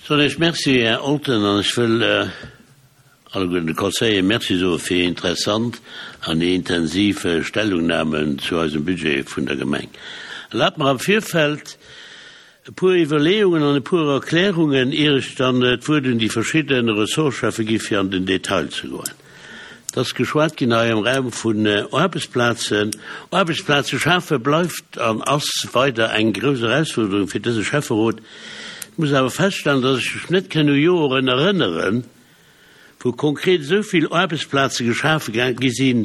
Soen Iech Merci, Här Olten, an ech wëll alleguerten de Conseillere Merci soe fir hir interessant an hir intensiv Stellungnamen zu eisem Budget vun der Gemeng. Erlaabt mer am Virfeld e puer Iwwerleeungen an e puer Erklärungen, ier ech dann d'Wuert un déi verschidde Ressortscheffe gi fir an den Detail ze goen. Et ass geschwat ginn hei am Raum vun Aarbechtsplazen. Aarbechtsplaze schafe bleift an ass weider eng grouss Erausfuerderung fir dëse Schäfferot. Ech muss awer feststellen, dass ech mech net kënn u Joren erënneren, wou konkret esou vill Aarbechtsplaze geschafe gi sinn,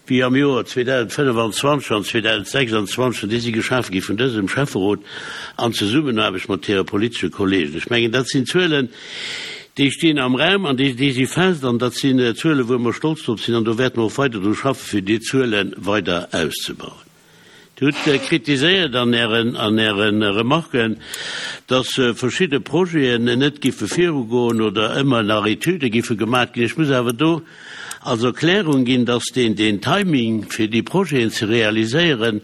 wéi am Joer 2025 an 2026. An déi si geschafe gi vun dësem Schäfferot an Zesummenaarbecht mat hire politesche Kollegen. Ech mengen, dat sinn Zuelen, Déi stinn am Raum an déi si fest an dat sinn Zuelen, wou mer stolz drop sinn an do wäerte mer och weider dru schaffen, fir déi Zuele weider auszebauen. Dir hutt kritiséiert an Ären, an Äre Remarken, dass verschidde Projeten net giffe virugoen oder ëmmer nach Etüde giffe gemaat ginn. Ech muss awer do als Erklärung ginn, dass deen, deen Timing, fir déi Projeten ze realiséieren,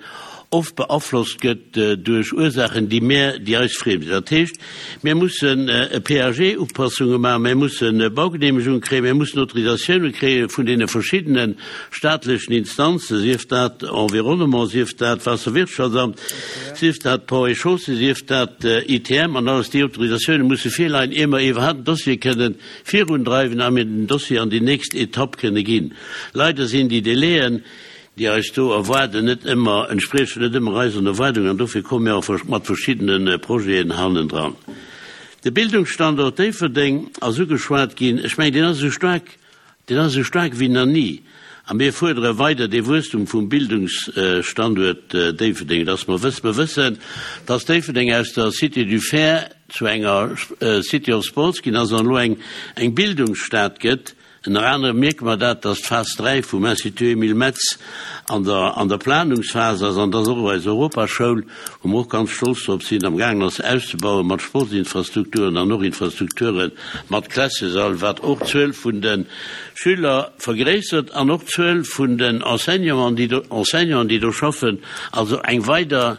oft beaflosst gëtt duerch Ursaachen, déi mär, déi eis friem sinn. Dat heescht, mir mussen PAG-Upassunge maachen, mir musse Baugenehmegunge kréien, mir mussen Autorisatioune kréie vun deene verschiddene staatlechen Instanzen, sief dat Environnement, sief dat Waasserwirtschaftsamt, sief dat Ponts et Chaussées, sief dat ITM, an alles déi Autorisatioune musse virleien, ier mer iwwerhaapt en Dossier kënnen virundreiwen a mir den Dossier an déi nächst Etapp kënne ginn. Leider sinn déi Délaiën, déi eis do erwaarden, net ëmmer, entspriechen net ëmmer eisen Erwaardungen an dofir komme mir och mat verschiddene Projeten hannendran. De Bildungsstandort Déifferdeng ass ugeschwat ginn. Ech mengen, deen ass esou staark, deen ass esou staark wéi nach ni a mir fuerdere weider dee Wuesstum vum Bildungsstanduert Déifferdeng, dass mer wëssen, mer wëssen, dass Déifferdeng aus der Cité du Fer zu enger City of Sports ginn ass an elo eng Bildungsstad gëtt. Ënner anerem mierke mer dat, dass d'Phas 3 vum Institut Emile Metz an der an der Planungsphas ass an dass och eis Europaschoul, wou mer och ganz stolz drop sinn, am gaangen ass auszebauen mat Sportsinfrastrukturen an och Infrastrukture mat Klassesall, wat och d'Zuel vun de Schüler vergréissert an och d'Zuel vun den Enseignanten, déi do Enseignanten, déi do schaffen, also eng weider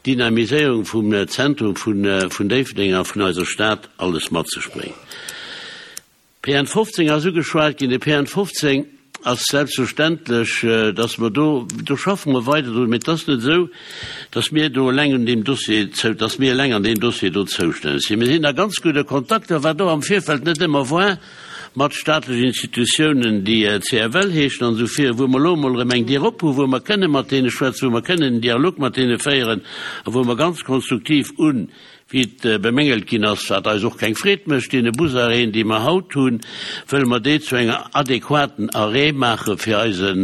Dynamiséierung vum Zentrum vun vun Déifferdeng a vun eiser Stad alles mat sech bréngt. PN 15 ass ugeschwat ginn. De PN 15 ass selbstverständlech, dass mer do, do schaffe mer weider drun, mee et ass net esou, dass mir do eleng un deem Dossier zou, dass mir eleng an deem Dossier do zoustänneg sinn. Mir sinn a ganz gudde Kontakter, wat och am Virfeld net ëmmer war, mat staatlechen Institutiounen, déi CFL heeschen an esou vir, wou mer elo emol erëm eng Dier op hu wou mer kënne mat deene schwätzen, wou mer kënnen en Dialog mat deene féieren a wou mer ganz konstruktiv un Wéi et bemängelt ginn ass, wat eis och keng Freed mécht, deene Busarrêten, déi mer haut hunn, wëlle mer déi zu enger adequaten Arrêt maache fir eisen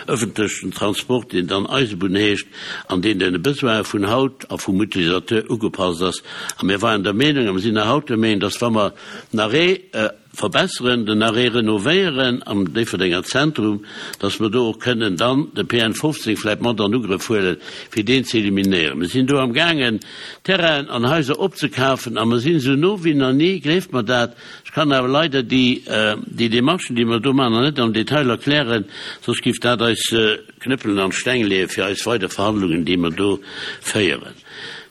öffentlechen Transport, deen dann Eisebunn heescht an deen den Besoine vun haut a vum Utilisateur ugepasst ass. A mir waren der Meenung a mir sinn nach haut der Meenung, dass wa mer den Arrêt, Verbesseren, den Arrêt renovéieren am Déifferdenger Zentrum, dass mer do och kënnen dann de PN 15 vläicht mat an Ugrëff huelen, fir deen ze eliminéieren. Mir sinn do amgaangen, Terrainen an Haiser opzekafen a mer sinn esou no wéi nach ni, gleeft mer dat. Ech kann awer leider déi, déi Demarchen, déi mer do maachen, nach net am Detail erklären, soss géif dat eis Knëppelen an d'Steng leeë fir eis weider Verhandlungen, déi mer do féieren.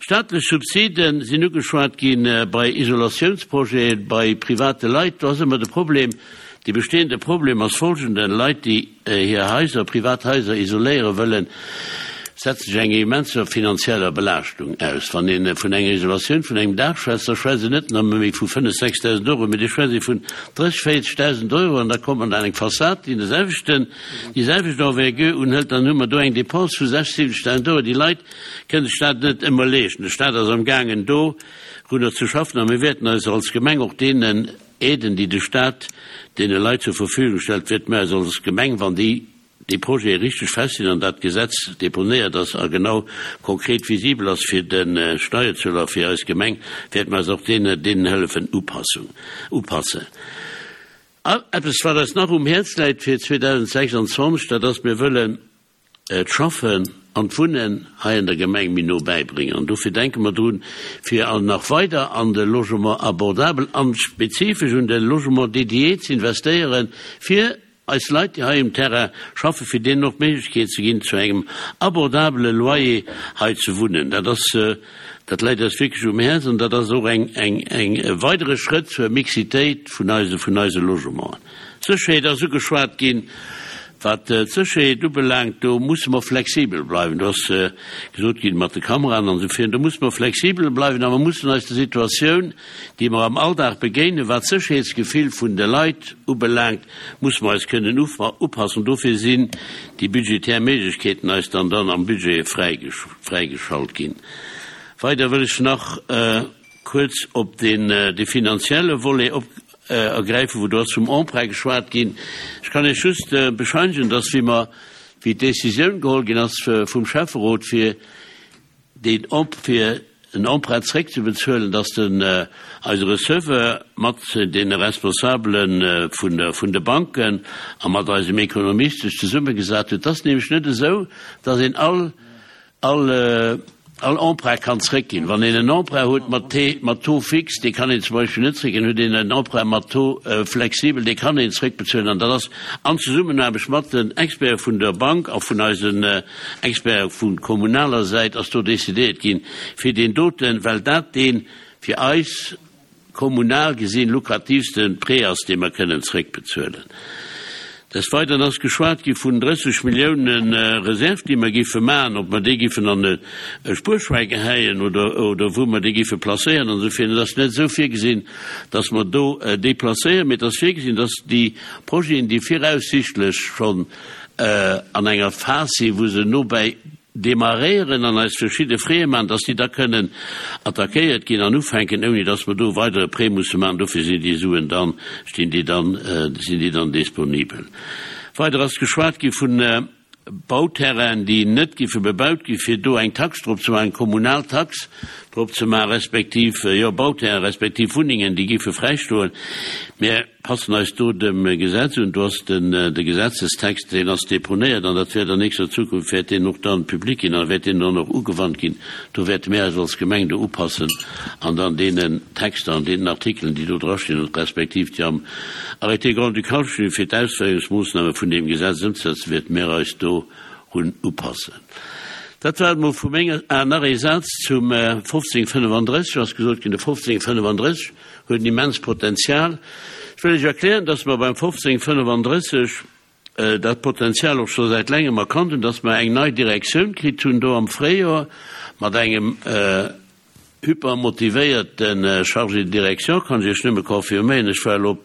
Staatlech Subside sinn ugeschwat gi bei Isolatiounsprojete bei private Leit. Do ass ëmmer de Problem, dee bestehende Problem ass folgenden, Leit, déi hir Haiser, privat Haiser isoléiere wëllen, setzen sech enger immenser finanzieller Belaaschtung aus. Wann ee vun enger Isolatioun vun engem Daach schwätzt, da schwätzt een net nëmme méi vu 5.000, 6.000 Euro, mee da schwätzt ee vun 30.000, 40.000 Euro an da kommt man an eng Fassad, déi de selwechten, déi selwecht Envergure unhëlt, dann hu mer do eng Dépense vu 6.000, 7.000 Euro. Déi Leit kënnen sech dat net ëmmer leeschten. De Stat ass amgaangen dorunner ze schaffen a mir wäerten eis als Gemeng och deenen Aiden, déi de Stat deene Leit zur Verfügung stellt, wäerte mir eis als Gemeng, wann déi déi Projete richteg fest sinn an dat Gesetz deponéiert ass a genau konkret visibel ass fir de Steierzueler a fir eis Gemeng, wäerte mir eis och deene deenen Hëllefen Upassung upassen. Eppes, wat eis nach um Häerz läit fir 2026, dat ass, mir wëllen d'Schaffen an d'Wunnen hei an der Gemeng méi no bäibréngen. An dofir denke mer drun, fir nach weider an de Logement abordable an spezifesch un de Logement dédié ze investéieren, fir eis Leit, déi hei um Terrain schaffen, fir deenen och d'Méiglechkeet ze ginn, zu engem abordabele Loyer hei ze wunnen. Dat ass. Dat läit eis wierklech um Häerz an dat ass och eng, eng, eng, e weidere Schrëtt zur Mixitéit vun eise, vun eise Logementen. D'Sécherheet ass ugeschwat ginn. Wat d'Sécherheet ubelaangt, do musse mer flexibel bleiwen. Do ass gesot ginn, mat de Kameraen an esou virun, do musse mer flexibel bleiwen a mer mussen eis der Situatioun, déi mer am Alldag begéinen, wat d'Sécherheetsgefill vun de Leit ubelaangt, musse mer eis kënnen upassen. Dofir sinn déi budgetär Méiglechkeeten eis dann dann am Budget fräigeschalt ginn. Weider wëll ech nach kuerz op deen dee finanzielle Volet op ergräifen, wou do ass vum Emprunt geschwat ginn. Ech kann Iech just bescheinegen, dass wéi mer, wéi d'Décisioun geholl ginn ass vum Schäfferot fir deen Emp, fir en Emprunt zréckzebezuelen, dass den eise Receveur mat deene Responsabele vun der, vun de Banken a mat eisem Ekonomist sech zesummegesat huet. Et ass nämlech net esou, dass een all All all Emprunt kann zréckginn. Wann een en Emprunt huet mat T mat Taux fixe, dee kann een zum Beispill net zréckginn. Huet een en Emprunt mat Taux flexibel, dee kann een zréckbezuelen. An dat ass an Zesummenaarbecht mat den Experte vun der Bank a vun eisen Experte vu kommunaler Säit ass do decidéiert ginn, fir deen doten, well dat dee fir eis, kommunal gesinn lukrativste Prêt ass, dee mer kënnen zréckbezuelen. Des Weideren ass geschwat gi vun 30 Milliounen Reserve, déi mer géife maachen, ob mer déi géifen an e Spuerschwäi gehäien oder oder wou mer déi géife placéieren an esou virun. Et ass net esou virgesinn, dass mer do déi placéieren, mee et ass virgesinn, dass déi Projeten, déi viraussichtlech schonn an enger Phas sinn, wou se nobäi Demarréieren an eis verschidde Freeë maachen, dass déi da kënnen attackéiert ginn an ufänken, ouni dass mer do e weidere Prêt musse maachen. Dofir sinn déi Suen dann, stinn déi dann, sinn déi dann disponibel. Weider ass geschwat gi vun Bauterrainen, déi net giffe bebaut ginn, fir do eng Tax drop ze maachen, eng kommunal Tax drop ze maachen, respektiv, jo, Bauterrainen, respektiv Wunnengen, déi giffe fräistoen. Mir passen eis do dem Gesetz un. Do ass den de Gesetzestext, deen ass deponéiert an dat wäert an nächster Zukunft wäert deen och dann public ginn a wäert deen dann och ugewannt ginn. Do wäerte mir eis als Gemeng do upassen an dann deenen Texter an deenen Artikelen, déi do drastinn und respektiv déi am Arrêté grand-ducal stinn, fir d'Ausféierungsmoossname vun deem Gesetz ëmzesetzen, wäerte mir eis dorun upassen. Dat war et emol vu menger. Ah, nach ee Saz zum 1535 ass gesot ginn. De 1535 huet en immens Potenzial. Ech wëll Iech erklären, dass mer beim 1535 dat Potenzial och scho säit längem erkannt hunn, dass mer eng nei Direktioun kritt hunn do am Fréijoer mat engem hypermotivéierte Chargé de direction, kann ech Iech nëmme confirméieren. Ech war elo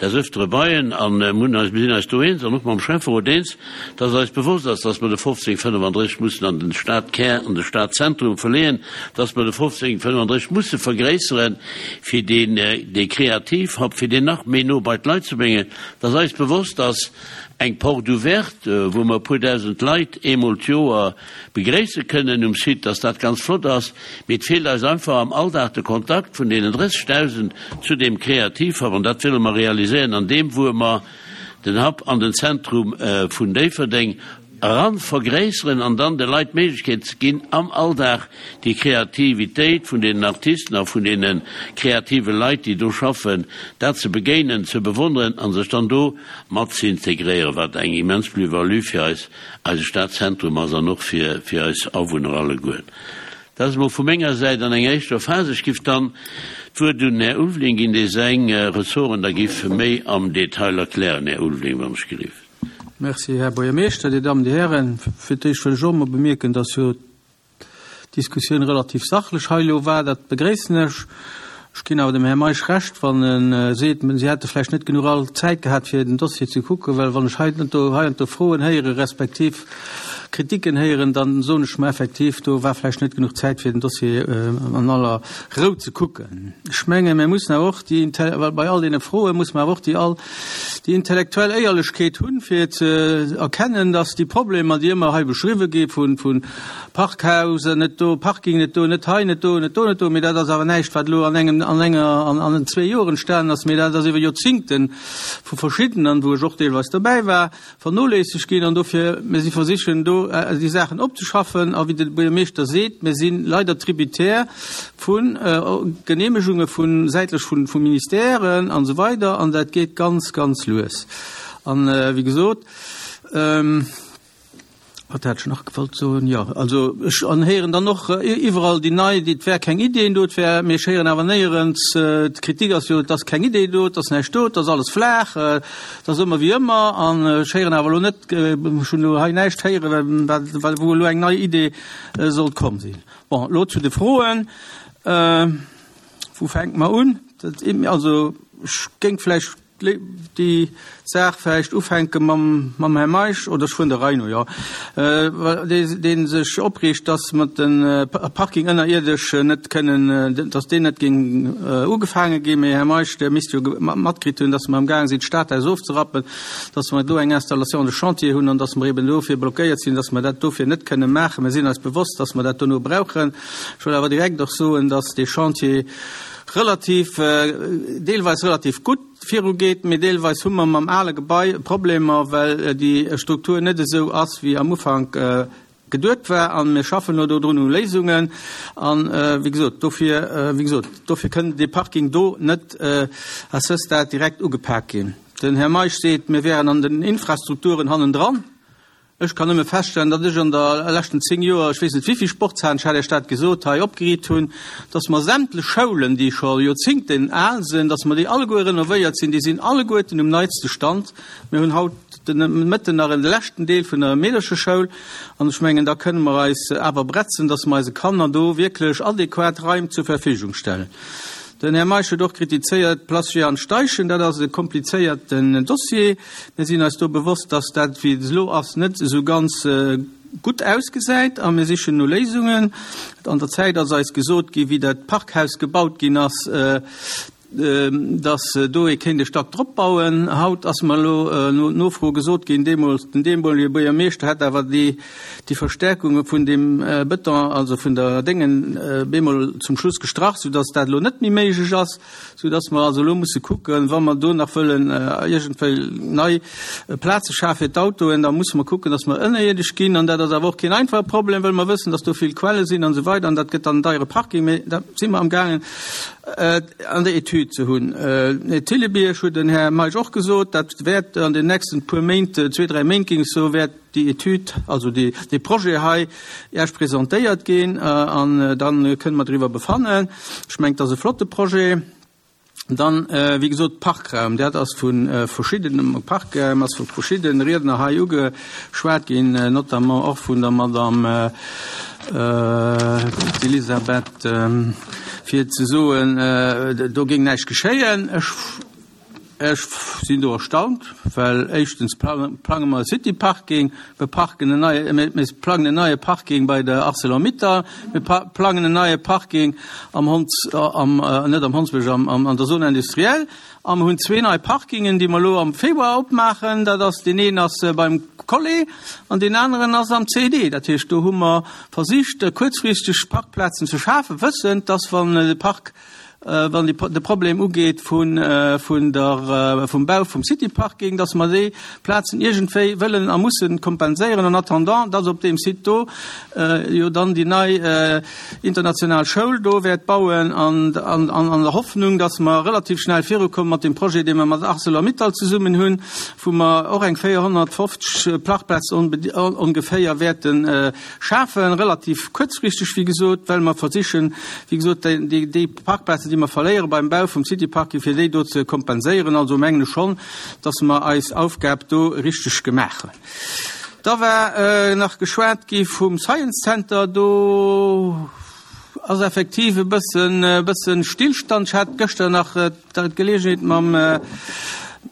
des Öftere bei en an mir hunn eis, mir sinn eis do eens an och mam Schäfferot eens, dass eis bewosst ass, dass mer de 1535 mussen an den Stadkär, an de Stadzentrum verleeën, dass mer de 1535 musse vergréisseren, fir deen, dee Kreativhub, fir deen nach méi no bei d'Leit ze bréngen, dass eis bewosst ass, eng Porte ouverte, wou mer e puer dausend Leit eemol d'Joer begréisse kënnen um Site, dass dat ganz flott ass, mee et feelt eis einfach am Alldag de Kontakt vun deenen 30.000 zu deem Kreativhub an dat wëlle mer realiséieren an deem, wou mer den Hub an den Zentrum vun Déifferdeng eran vergréisseren an dann de Leit d'Méiglechkeet ze ginn, am Alldag déi Kreativitéit vun deenen Artisten a vun deene kreative Leit, déi do schaffen, dat ze begéinen, ze bewonneren a sech dann do mat ze integréieren, wat eng immens Plus-value fir eis, eise Stadzentrum ass an och fir eis Awunner alleguer. Dat ass emol vu menger Säit an enger éischter Phas. Ech giff dann d'Wuert un den Här Ulveling ginn, dee seng Ressorten da giff méi am Detail erklären. Här Ulveling, wann ech gelift. Merci, Här Buergermeeschter, Dir Dammen, Dir Hären. Fir d'éischt wëll ech och emol bemierken, dass jo d'Diskussioun relativ sachlech hei elo war. Dat begréissen ech. Ech ginn awer dem Här Meisch Recht, wann e seet, si hätte vläicht net genuch all Zäit gehat, fir den Dossier ze kucken, well wann ech hei an do, hei an do Froen héiere respektiv Kritiken héieren, dann soen ech mer effektiv, do war vläicht net genuch Zäit, fir den Dossier an aller Rou ze kucken. Ech mengen, mir mussen awer och déi, well bei all deene Froe muss mer awer och déi all, déi intellektuell Éierlechkeet hunn, fir ze erkennen, dass déi Problemer, déi ëmmer hei beschriwwe gi vun, vun Parkhaus net do, Parking net do, net hei, net do, net do, net do, mee dat ass awer näischt, wat elo an engem, an enger, an, an zwee Joer entstanen ass, mee dat ass iwwer Joerzingte vu verschiddenen, wou ech och deelweis dobäi war, vernoléissegt ginn. An dofir, mir si versichen do déi Saachen opzeschaffen. A wéi de Buergermeeschter seet, mir si leider tributaire vu Genehmegunge vu säitlech vu, vu Ministèren an esou weider an dat geet ganz, ganz lues. An, wéi gesot. Wat hat ech nach gewollt soen? Jo, also ech héieren dann och iwwerall déi nei, et wär keng Ideen do, et wär, mee ech héieren awer néierens, d'Kritik ass jo, et ass keng Idee do, et ass näischt do, et ass alles flaach, et ass ëmmer wéi ëmmer. An ech héieren awer elo net, ech hunn elo hei näischt héieren, wat, wou elo eng nei Idee sollt komm sinn. Bon, elo zu de Froen. Wou fänke mer un? Also ech géing vläicht déi Saach vläicht ufänke mam mam Här Meisch, oder ech fueren der Rei no, jo, dee sech opreegt, dass mer de Parking ënnerierdesch net kënnen, dass deen net géing ugefaange ginn. Mee Här Meisch, Der misst jo matkritt hunn, dass mer amgaang sinn, d'Stadhaus ofzerappen, dass mer do eng Installation de chantier hunn an dass mer eben dofir blockéiert sinn, dass mer dat dofir net kënnen maachen. Mir sinn eis bewosst, dass mer dat dono brauchen. Ech wëll awer direkt och soen, dass dee Chantier relativ, deelweis relativ gutt virugeet, mee deelweis hu mer mam ale Gebai Problemer, well déi Struktur net esou ass, wéi am Ufank geduet war. A mir schaffen elo dodrun u Léisungen. An, wéi gesot, dofir, wéi gesot, dofir kënn dee Parking do net à ce stade direkt ugepak ginn. Den Här Meisch seet, mir wären an den Infrastrukturen hannendran. Ech kann nëmme feststellen, datt ech an der leschten 10 Joer, ech weess net wéivill Sportshalen, ech hat Iech dat gesot, hei opgeriit hunn, datt mer sämtlech Schoulen, déi scho Joerzingten al sinn, datt mer déi alleguer renovéiert sinn. Déi sinn alleguerten um neitste Stand. Mir hunn haut de Mëtten nach e leschten Deel vun der Meedercheschoul an ech mengen, da kënne mer eis awer bretzen, datt mer eise Kanner do wierklech adequat Raim zur Verfügung stellen. Den Här Meisch huet och kritizéiert, d'Place Jehan Steichen, dat ass e komplizéierten Dossier. Mir sinn eis do bewosst, dass dat, wéi et elo ass, net esou ganz gutt ausgesäit a mir sichen no Léisungen. An der Zäit ass eis gesot ginn, wéi dat Parkhaus gebaut ginn ass, dass do ee kéint e Stack drop bauen. Haut ass mer elo no Nofro gesot ginn, deemools den deemolige Buergermeeschter hätt awer déi déi Verstärkunge vun deem Bëton, also vun der Déngen, bemol zum Schluss gestrach, soudass dat elo net méi méiglech ass. Sou dass mer also elo musse kucken, wa mer do nach wëllen iergendwéi nei Plaze schafe fir d'Autoen, da musse mer kucken, dass mer ënnerierdesch ginn. An dat ass awer och keen einfache Problem, well mer wëssen, dass do vill Quelle sinn an esou weider. An dat gëtt dann en deiere Parking. Mee dat si mer amgaangen an der Etüd ze hunn. Thillebierg huet den Här Meisch och gesot, dat wäert an den nächsten puer Méint, zwee, dräi Méint géing ech soen, wäert déi Etüd, also dee Projet hei Iech presentéiert ginn an da kënne mer driwwer befannen. Ech mengen, et ass e flotte Projet. Dann, wéi gesot, Parkraum, dat ass vu verschiddenen, Parkraum ass vu verschiddene Riedner hei ugeschwat ginn, notamment och vun der Madame Elisabeth, fir ze soen, do géing näischt geschéien. Ech. Ech sinn do erstaunt, well éischtens plange mer e City-Parking, mir parken en neie, mir plangen en neie Parking bei der Arcelor-Mittal, mir plangen en neie Parking am Honds, am, net am Hondsbësch, am, am, an der Zone industrielle a mer hunn zwee nei Parkingen, déi mer elo am Februar opmaachen. Dat ass, deen een ass beim Collé an deen aneren ass am CED. Dat heescht, do hu mer versicht, kuerzfristeg Parkplazen ze schafen, wëssend, dass wann de Park, wann de Problem ugeet vun der, vum Bau vum City Parking, dass mer déi Plazen iergendwéi wëllen a mussen kompenséieren en attendant, dass op deem Site do jo dann déi nei international Schoul do wäert bauen an an der Hoffnung, dass mer relativ schnell virukomme mat deem Projet, dee mer mat Arcelor-Mittal zesummen hunn, wou mer och eng 450 Parkplazen ongeféier wäerten Schafen, relativ kuerzfristeg, wéi gesot, well mer versichen, wéi gesot, déi Parkplazen, déi mer verléiere beim Bau vum City-Parking, fir déi do ze kompenséieren. Also mengen ech schonn, dass mer eis Aufgab do richteg gemaach hunn. Da war nach geschwat gi vum Science Center. Do ass effektiv e bëssen, e bëssen Stillstand. Ech hat gëschter nach d'Geleegenheet mam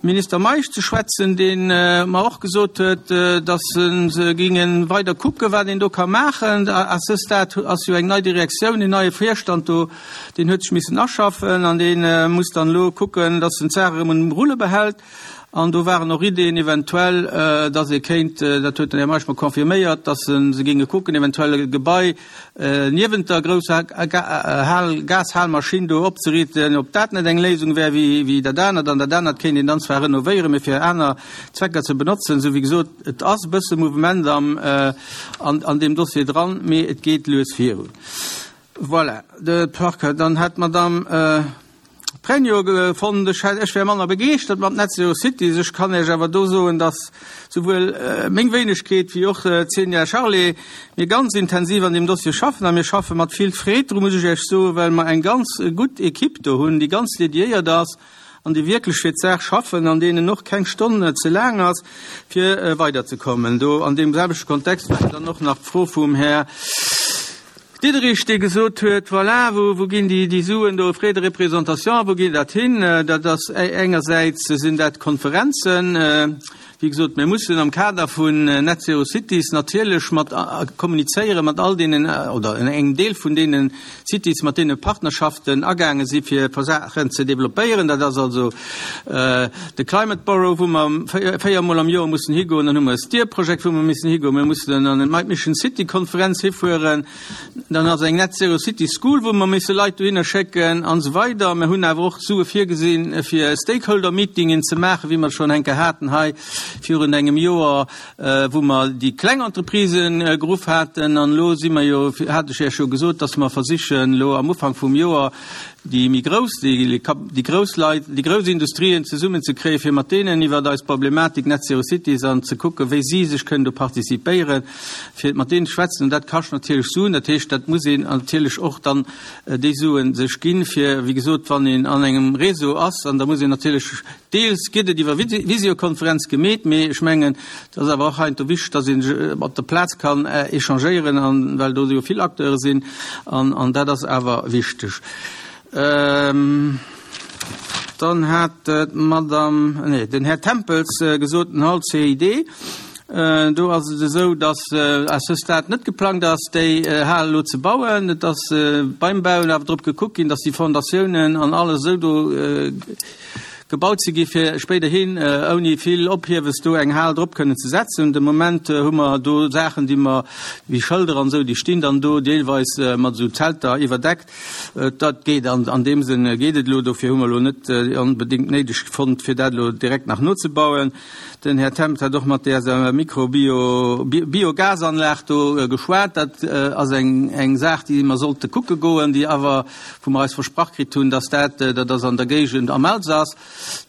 Minister Meisch ze schwätzen, dee mer och gesot huet, datt se géinge weider kucken, wat een do ka maachen. À ce stade ass jo eng nei Direktioun, en neie Virstand do, deen huet sech missen aschaffen an dee muss dann elo kucken, datt en d'Saach erëm um Rulle behält. An do waren och Ideen eventuell, datt ee kéint, dat huet den Här Meisch mer confirméiert, datt se géinge kucken, eventuell e Gebai niewent der grousser Gashalmaschinn do opzeriichten, ob dat net eng Léisung wär wéi dat anert. An dat anert kéint een dann zwar renovéieren, mee fir aner Zwecker ze benotzen. Esou wéi gesot, et ass e bësse Mouvement an deem Dossier dran, mee et geet lues virun. Voilà, de Park. Dann hat d'Madame. Pregno fonnt, ech hätt, ech wär manner begeeschtert mat Net Zero Cities. Ech kann Iech awer do soen, dass souwuel meng Wéinegkeet wéi och d'Xenia Charlé, mir ganz intensiv an deem Dossier schaffen a mir schaffe mat vill Freed dru, muss ech Iech soen, well mer eng ganz gutt Equipe do hunn, déi ganz dediéiert ass an déi wierklech fir d'Saach schaffen an deenen och keng Stonn ze laang ass, fir weiderzekommen. Do an deem selwechte Kontext war dann och nach d'Fro vum Här Diderich, dee gesot huet, Voilà, wou, wou ginn déi, déi Suen do, Frais de représentation, wou geet dat hin? Dat ass engersäits sinn dat Konferenzen. Wéi gesot, mir mussen am Kader vun Net Zero Cities natierlech mat kommunizéiere mat all deenen oder engem Deel vun deene Cities, mat deene Partnerschaften agaange si fir Saachen ze developpéieren. Dat ass also de Climate Borough, wou mer véiermol am Joer mussen higoen. Dann hu mer e Steer-Projekt, wou mer missen higoen. Mir mussen an d'Might Mission City Konferenz hifueren. Dann ass eng Net Zero City School, wou mer misse Leit dohinner schécken an esou weider. Mir hunn awer och Sue virgesinn, fir Stakeholder-Meetingen ze maachen, wéi mer et schonn eng Kéier haten hei virun engem Joer, wou mer déi kleng Entreprisen geruff haten. An elo si mer jo, hat ech Iech jo gesot, dass mer versichen elo am Ufank vum Joer déi méi grouss, déi grouss Leit, déi grouss Industrien zesummenzekréien, fir mat deenen iwwert eis Problematik Net Zero Cities an ze kucken, wéi si sech kënnen do participéieren, fir mat deenen ze schwätzen. An dat kascht natierlech Suen. Dat heescht, dat muss een natierlech och dann déi Suen sech ginn, fir, wéi gesot, wann een an engem Réseau ass, an da muss een natierlech, deels gëtt et iwwer Visiokonferenz gemeet, mee ech mengen, et ass awer och heiansdo wichteg, dass een op der Plaz kann échangéieren, an well do jo vill Acteure sinn, an an dat ass awer wichteg. Dann hat d'Madame, nee, den Här Tempels gesot, den Hall CID, do ass et esou, dass à ce stade net geplangt ass, déi Hal elo ze bauen. Et ass beim Bauen awer drop gekuckt ginn, dass déi Fondatiounen an alles esou do gebaut ze gi fir spéiderhin ouni vill Ophiewes do eng Hal drop kënnen ze setzen. De Moment hu mer do Saachen, déi mer, wéi Schëlder an esou, déi stinn dann do deelweis mat esou Zelter iwwerdeckt. Dat geet an an deem Sënn geet et elo. Dofir hu mer elo net onbedéngt néideg fonnt, fir dat elo direkt nach nozebauen. Den Här Tempt hat och mat där Mikro-Bio, Biogasanlag do geschwat. Dat ass eng eng Saach, déi mer sollte kucke goen, déi awer, wou mer eis versprach kritt hunn, dass dat, dat ass an der Géigend am Elsass,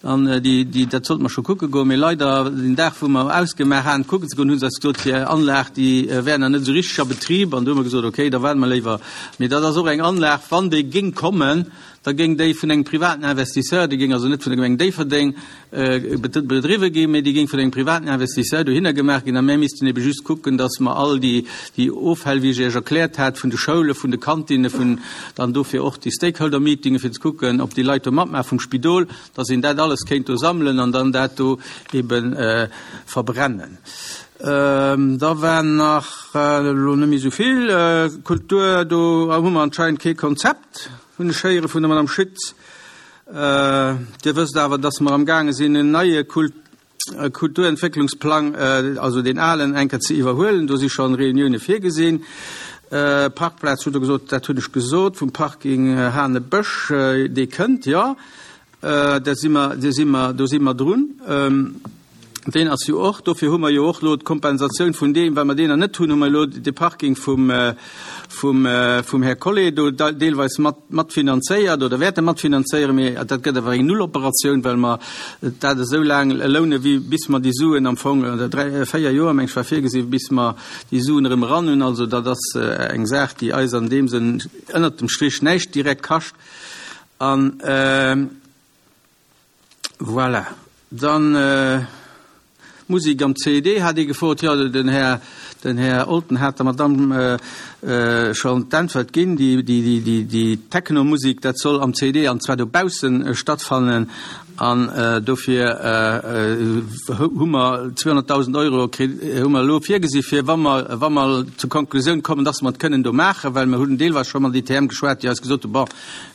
an déi, déi, dat sollte mer scho kucke goen. Mee leider, den Dag, wou mer ausgemaach haten, kucken ze goen, hu se eis gesot, déi Anlag, déi wär nach net esou richteg a Betrib. An du hu mer gesot, okay, da waarde mer léiwer. Mee dat ass och eng Anlag, wann déi géing kommen, da géing déi vun engem privaten Investisseur, déi géing also net vun der Gemeng Déifferdeng bedriwwe ginn, mee déi géing vun engem privaten Investisseur dohinner gemaach ginn. A mär missten ebe just kucken, dass mer all déi, déi Offäll, wéi ech Iech erkläert hat, vun de Schoule, vun de Kantinne, vun dann dofir och déi Stakeholder-Meetinge fir ze kucken, ob déi Leit do matmaachen, vum Spidol, dass een dat alles kéint do sammelen an dann dat do ebe verbrennen. Da war nach, elo net méi esou vill, Kultur, do hu mer anscheinend kee Konzept. Hunn ech héiere vun der Madame Schütz. Dir wësst awer, dass mer amgaange sinn, en neie Kulturentwécklungsplang, also deen alen, eng Kéier ze iwwerhuelen. Do si scho Reunioune virgesinn. Parkplaz hutt Der gesot, dat hunn ech gesot, vum Parking Hanebësch, dee kënnt, jo. Da si mer, do si mer, do si mer drun. Deen ass jo och, dofir hu mer jo och elo d'Kompensatioun vun deem, well mer deen nach net hunn, hu mer elo de Parking vum, vum, vum Här Collé do deelweis mat, matfinanzéiert oder wäerte matfinanzéieren. Mee dat gëtt awer eng Nulloperatioun, well mer dat esou laang lounen, wéi bis mer déi Suen am Fong, oder dräi, véier Joer, meng ech, war virgesinn, bis mer déi Suen erëm eran hunn. Also dat ass eng Saach, déi eis an deem Sënn ënnert dem Strich näischt direkt kascht. An voilà. Dann Musik am CED hat ee gefrot. Jo, den Här, den Här Olten hat der Madamm schonn d'Äntwert ginn. Déi, déi, déi, déi Techno-Musik, dat soll am CED, an zwar dobaussen stattfannen. An dofir hu mer 200.000 Euro kritt, hu mer elo virgesi fir, wa mer, wa mer zur Konklusioun kommen, dass mer et kënnen do maachen, well mer hunn deelweis scho mat ITM geschwat, déi eis gesot hu, bon,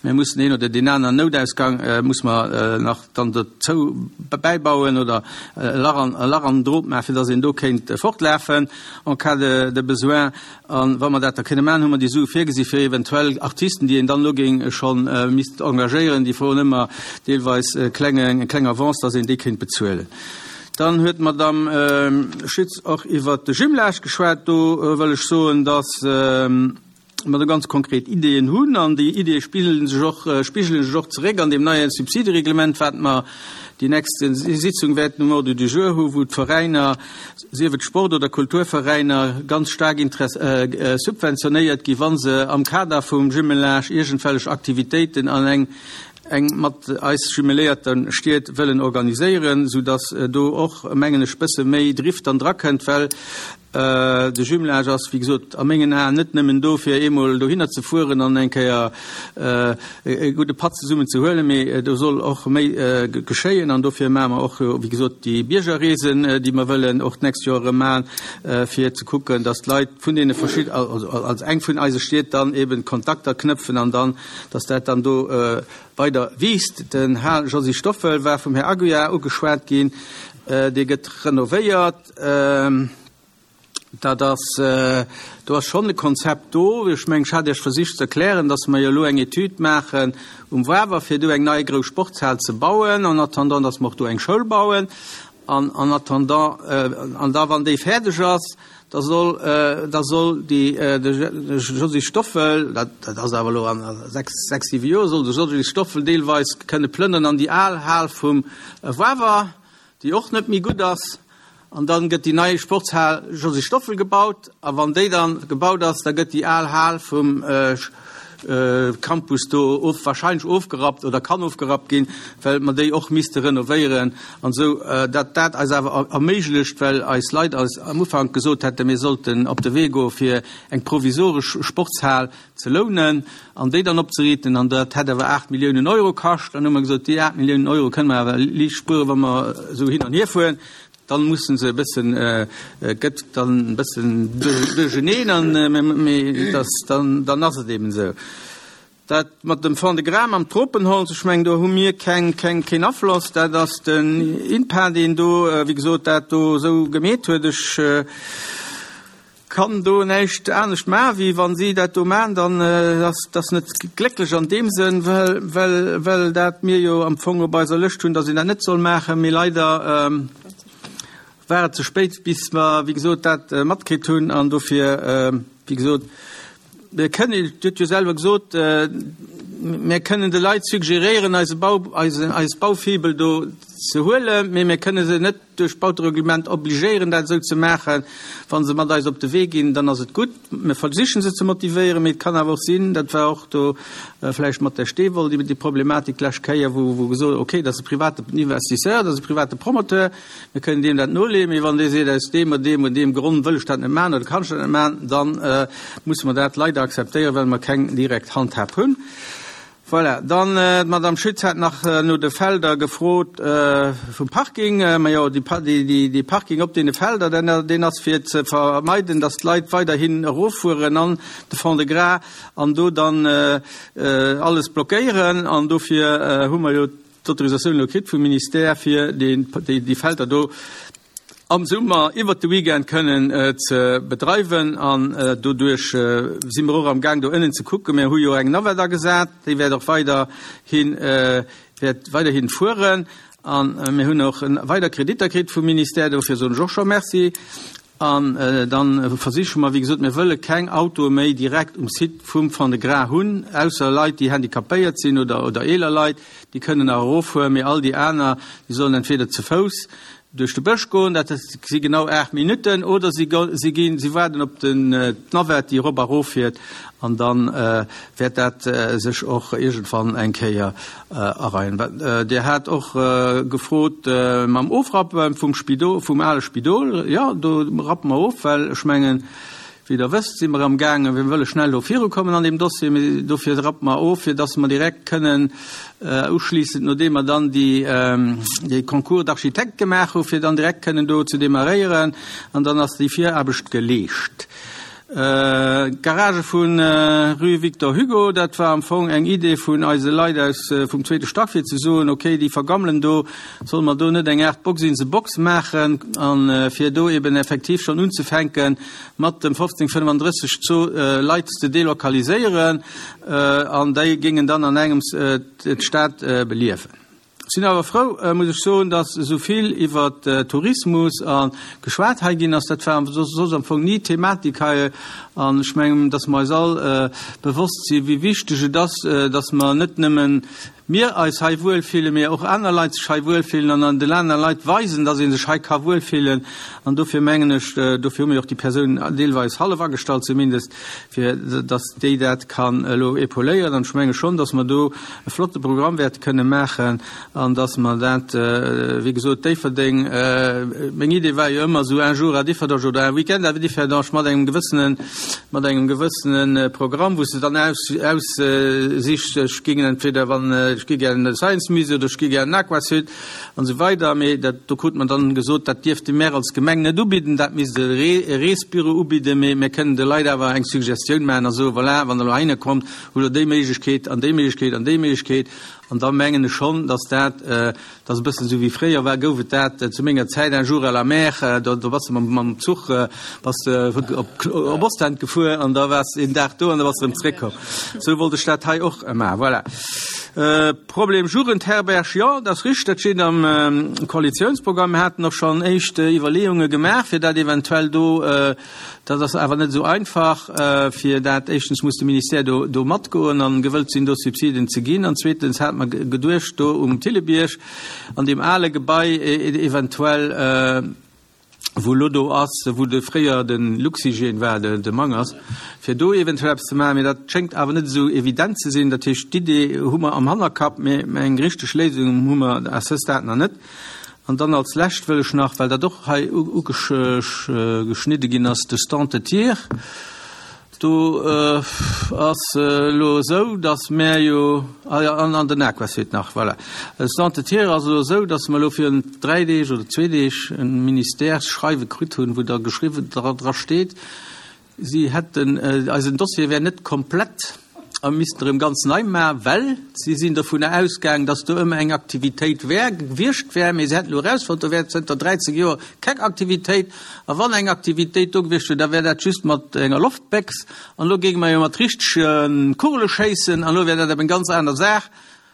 mir mussen een oder deen aneren Noutausgang muss mer nach dann dozou bäibauen oder e Lach an, e Lach an den Drot maachen, fir dass een do kéint fortlafen en cas de, de besoin. A wa mer dat da kënne maachen, hu mer déi Sue virgesi fir eventuell Artisten, déi een dann elo géing scho misst engagéieren, déi froen ëmmer deelweis e klenge, eng kleng Avance, dass een déi kéint bezuelen. Dann huet d'Madame Schütz och iwwert de Jumelage geschwat. Do wëll ech soen, dass. mer do ganz konkret Ideeën hunn an déi Ideeë spigelen sech och, spigelen sech och zeréck an deem neie Subsidereglement, wat mer déi nächst Sitzung wäerten um Ordre du jour hu, wou d'Veräiner, sief et Sport oder Kulturveräiner, ganz staark subventionéiert gi wa se am Kader vum Jumelage iergendwellech Aktivitéiten an eng eng mat eis jumeléierte Stied wëllen organiséieren, soudass do och, mengen ech, bësse méi Drift dann drakënnt, well De Jumelage ass, wéi gesot, a mengen Aen net nëmmen do, fir eemol dohinner ze fueren an eng Kéier e gudde Patt zesummen ze huelen, mee do soll och méi geschéien. An dofir maache mer och, wéi gesot, déi Biergerreesen, déi mer wëllen och d'nächst Joer erëm maachen, fir ze kucken, dass d'Leit vun deene verschid-, also als eng vun eise Stied dann eben Kontakter knëpfen an dann, dass dat dann do weider wiisst. Den Hal Josy Stoffel war vum Här Aguiar ugeschwat ginn. Dee gëtt renovéiert. Dat ass, do ass schonn e Konzept do. Ech mengen, ech hat Iech versicht ze erklären, dass mer jo elo eng Etüd maachen um Wawer, fir do eng nei grouss Sportshal ze bauen, en attendant, dass mer och do eng Schoul bauen. An en attendant, an da wann déi fäerdeg ass, da soll, da soll déi, de Josy Stoffel, dat, dat ass awer elo an sechs, sechs, siwe Joer, soll de Josy Stoffel deelweis kënne plënnern an déi al Hal vum Wawer. déi och net méi gutt ass, an dann gëtt déi nei Sportshal Josy Stoffel gebaut, a wann déi dann gebaut ass, da gëtt déi al Hal vum Campus do of, wahrscheinlech ofgerappt oder kann ofgerappt ginn, well mer déi och misste renovéieren an esou, dat dat eis awer erméiglecht, well eis Leit eis am Ufank gesot hätten, mir sollten op de Wee goe fir eng provisoresch Sportshal ze lounen an déi dann opzeriiten, an dat hätt awer 8 Milliounen Euro kascht. Dann hu mer gesot, déi 8 Milliounen Euro kënne mer awer liicht spueren, wa mer esou hin an hier fueren. Dann musse se e bëssen, gëtt dann e bëssen duercheneen, an mee dass dann, dann ass et eben esou. Dat mat dem Fond-de-Gras, mam Tropenholz, ech mengen, do hu mir keng, keng, keen Afloss. Dat ass den INPA, deen do, wéi gesot, dat do esou gemeet huet. Ech Kann do näischt anescht maachen, wéi wa si dat do maachen, dann ass dass net glécklech an deem Sënn, well, well, well dat mir jo am Fong op eiser Lëscht hunn, dass een dat net soll maachen. Mee leider war et ze spéit, bis mer, wéi gesot, dat matkritt hunn. An dofir, wéi gesot, mir kënnen, Dir hutt jo selwer gesot, mir kënnen de Leit suggeréieren, eise Bau, eisen, eis Baufibel do ze huelen, mee mir kënne se net duerch d'Bautereglement obligéieren, dat esou ze maachen. Wa se mat eis op de Wee ginn, dann ass et gutt. Mir versichen se ze motivéieren, mee et kann awer och sinn, dat war och do vläicht mat der Steewoll déi Problematik d'lescht Kéier, wou wou gesot, okay, dat ass e private Investisseur, dat ass e private Promoteur, mir kënnen deem dat noleeën, mee wann dee seet, aus deem oder deem oder deem Grond wëll ech dat net maachen oder kann ech dat net maachen, da musse mer dat leider akzeptéieren, well mer keng direkt Handhab hunn. Voilà, dann d'Madame Schütz hat nach no de Felder gefrot vum Parking. Majo, dee Parking op deene Felder, deen ass fir ze vermeiden, datt d'Leit weiderhin eroffueren an de Fond-de-Gras an do dann alles blockéieren. An dofir hu mer jo d'Autorisatioun elo kritt vum Ministère, fir déi Felder do am Summer iwwert de Weekend kënnen ze bedreiwen an doduerch si mer och am Gaang do ënnen ze kucken. Mir hu jo eng Navette agesat, déi wäert och weiderhi wäert weiderhin fueren an mir hunn och weider Kreditter kritt vum Ministère, dofir soen ech och scho Merci. An dann versiche mer, wéi gesot, mir wëlle keng Autoe méi direkt um Site vum Fond-de-Gras hunn, ausser Leit, déi handicapéiert sinn oder oder eeler Leit, déi kënnen nach eroffueren, mee all déi aner, déi sollen entweder ze Fouss duerch de Bësch goen, dat si genau 8 Minutten, oder si si ginn, si waarden op den d'Navette, déi erop a erof fiert, an da wäert dat sech och iergendwann eng Kéier areien. Dir hat och gefrot mam Ofrappe vum Spidol, vum ale Spidol. Jo, do rappe mer of, well ech mengen, Wéi Der wësst, si mer amgaangen, mir wëlle schnell do virukommen an deem Dossier, mee dofir rappe mer of, fir dass mer direkt kënnen uschliissend, nodeem mer dann déi, dee Concours d'architectes gemaach hu, fir dann direkt kënnen do ze demarréieren an dann ass déi Viraarbecht geleescht. D'Garagë vu rue Victor Hugo, dat war am Fong eng Idee vun eise Leit aus vum zweete Stack, fir ze soen, okay, déi vergammelen do, Solle mer do net eng Aart Box in the Box maachen a fir do eben effektiv schonn unzefänke mat dem 1535 Zoo Leit ze delokaliséieren an déi géingen dann an engems d'Stad beliewen. Sinn awer frou, muss ech soen, dass esou vill iwwer Tourismus a geschwat hei ginn ass. Dat war soss am Fong ni d'Thematik hei. An ech mengen, dass mer eis all bewosst sinn, wéi wichteg et ass, dass mer net nëmmen mir eis hei wuelfillen, mee och aner Leit sech hei wuelfillen an den aner Leit weisen, dass ee sech hei ka wuelfillen. An dofir mengen ech, dofir hu mir och déi Persoun deelweis hallef agestallt zumindest, fir dass déi dat kann elo épauléieren. An ech menge schonn, dass mer do e flotte Programm wäerte kënne maachen an dass mer dat, wéi gesot, Déifferdeng, meng Idee war jo ëmmer esou un jour à Differdange oder un week-end à Differdange mat engem gewëssenen, mat engem gewëssene Programm, wou s de dann aus, aussichs, ech géing entweder, wann, ech gi gär an de Science Musée oder ech gi gär an den Aquasud, An esou weider. Mee dat, do krut mer dann gesot, dat dierfte mär als Gemeng net ubidden, dat misst e Reesbüro ubidden, mee mär kënnen de Leit awer eng Suggestioun maachen a soen, voilà, wann Der elo heihinner kommt, hutt Der déi Méiglechkeet an déi Méiglechkeet an déi Méiglechkeet. An da mengen ech schonn, dass dat, dat ass e bëssen esou wéi fréier war, gouf et dat zu menger Zäit, un jour à la mer, do, do bass de mam, mam Zuch bass de op, op Ostend gefuer an da waars de een Dag do an da bass de erëm zréckkomm. Esou wollt ech dat hei och maachen. Voilà. Problem Jugendherberg, jo, dat ass richteg, dat steet am Koalitiounsprogramm. Mir haten och schonn éischt Iwwerleeunge gemaach, fir dat eventuell do, dat ass awer net esou einfach, fir dat, éischtens muss de Ministère do do matgoen an gewëllt sinn, do Subsiden ze ginn, an zweetens hate mer geduecht, do um Thillebierg an deem ale Gebai eventuell, wou elo do ass, wou de fréier de Luxhygiène war, de Mangers, fir do eventuell eppes ze maachen. Mee dat schéngt awer net esou evident ze sinn. Dat heescht, d'Idee hu mer am Hannerkapp, mee eng richteg Léisung hu mer à ce stade nach net. An dann als Lescht wëll ech nach, well dat och hei ugeschnidde ginn ass, de Stand de tir. Do ass elo esou, datt mär jo, ah jo, an den Aquasud nach, voilà. Stand de tir ass elo esou, datt mer elo virun dräi Deeg oder zwee Deeg e Ministèresschreiwe kritt hunn, wou da geschriwwen dra steet, si hätten, eisen Dossier wär net komplett a missten erëm ganz nei maachen, well si sinn dovunner ausgaangen, datt do ëmmer eng Aktivitéit wär gewiescht wär, mee se hätten elo erausfonnt, do wär zënter 13 Joer keng Aktivitéit. A wann eng Aktivitéit do gewiescht wier, da wär dat just mat enger Loftbéchs. An elo géinge mer jo mat richtege Kugele schéissen, an elo wär dat awer eng ganz aner Saach.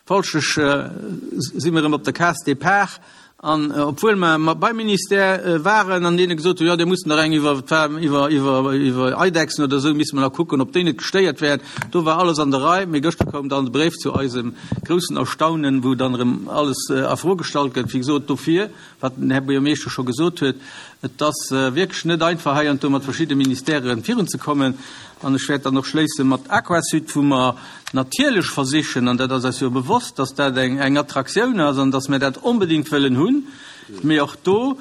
Folglech si mer erëm op der Case départ. An obwuel mer beim Ministère waren an deene gesot hunn, jo, dir musst nach eng iwwer, iwwer, iwwer, iwwer Eidechsen oder esou misste mer nach kucken, ob déi net gestéiert wären, do war alles an der Rei. Mee gëschter koum dann de Bréif zu eisem groussen Erstaunen, wou dann erëm alles a Fro gestallt gëtt. Wéi gesot, dofir wat den Här Buergermeeschter scho gesot huet, et ass wierklech net einfach hei an do mat verschidde Ministèren virunzekommen. An ech wäert dann och schléisse mat Aquasud, wou mer natierlech versichen, an dat ass eis jo bewosst, dass dat eng eng Attraktioun ass an dass mir dat onbedéngt wëllen hunn, mee och do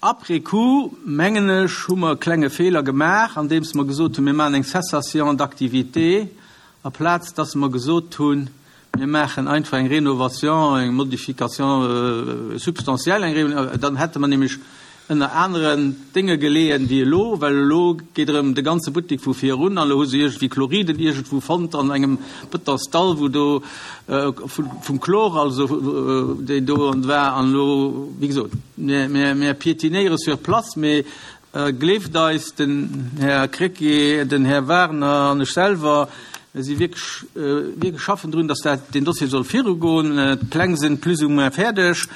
après coup, mengen ech, hu mer e klenge Feeler gemaach, andeems mer gesot hunn, mir maachen eng Cessation d'activité, aplaz dass mer gesot hunn, Mir maachen einfach eng Rénovation, eng Modification substantielle, eng dann hätte mer nämlech ënner aneren Dénge geleeën wéi elo, well elo geet erëm de ganze Buttek vu vir erun an elo hu se iergendwéi Chloriden iergendwou fonnt an engem Bëtonsdall, wou do vum Chlor also deen do war an elo, wéi gesot, mir, mir piétinéiere sur place, mee Gleeft eis, den Här Krecké, den Här Wagner an ech selwer, mir si wierklech, wierklech schaffen drun, dass dat, deen Dossier soll virugoen. D'Pläng sinn plus ou moins fäerdeg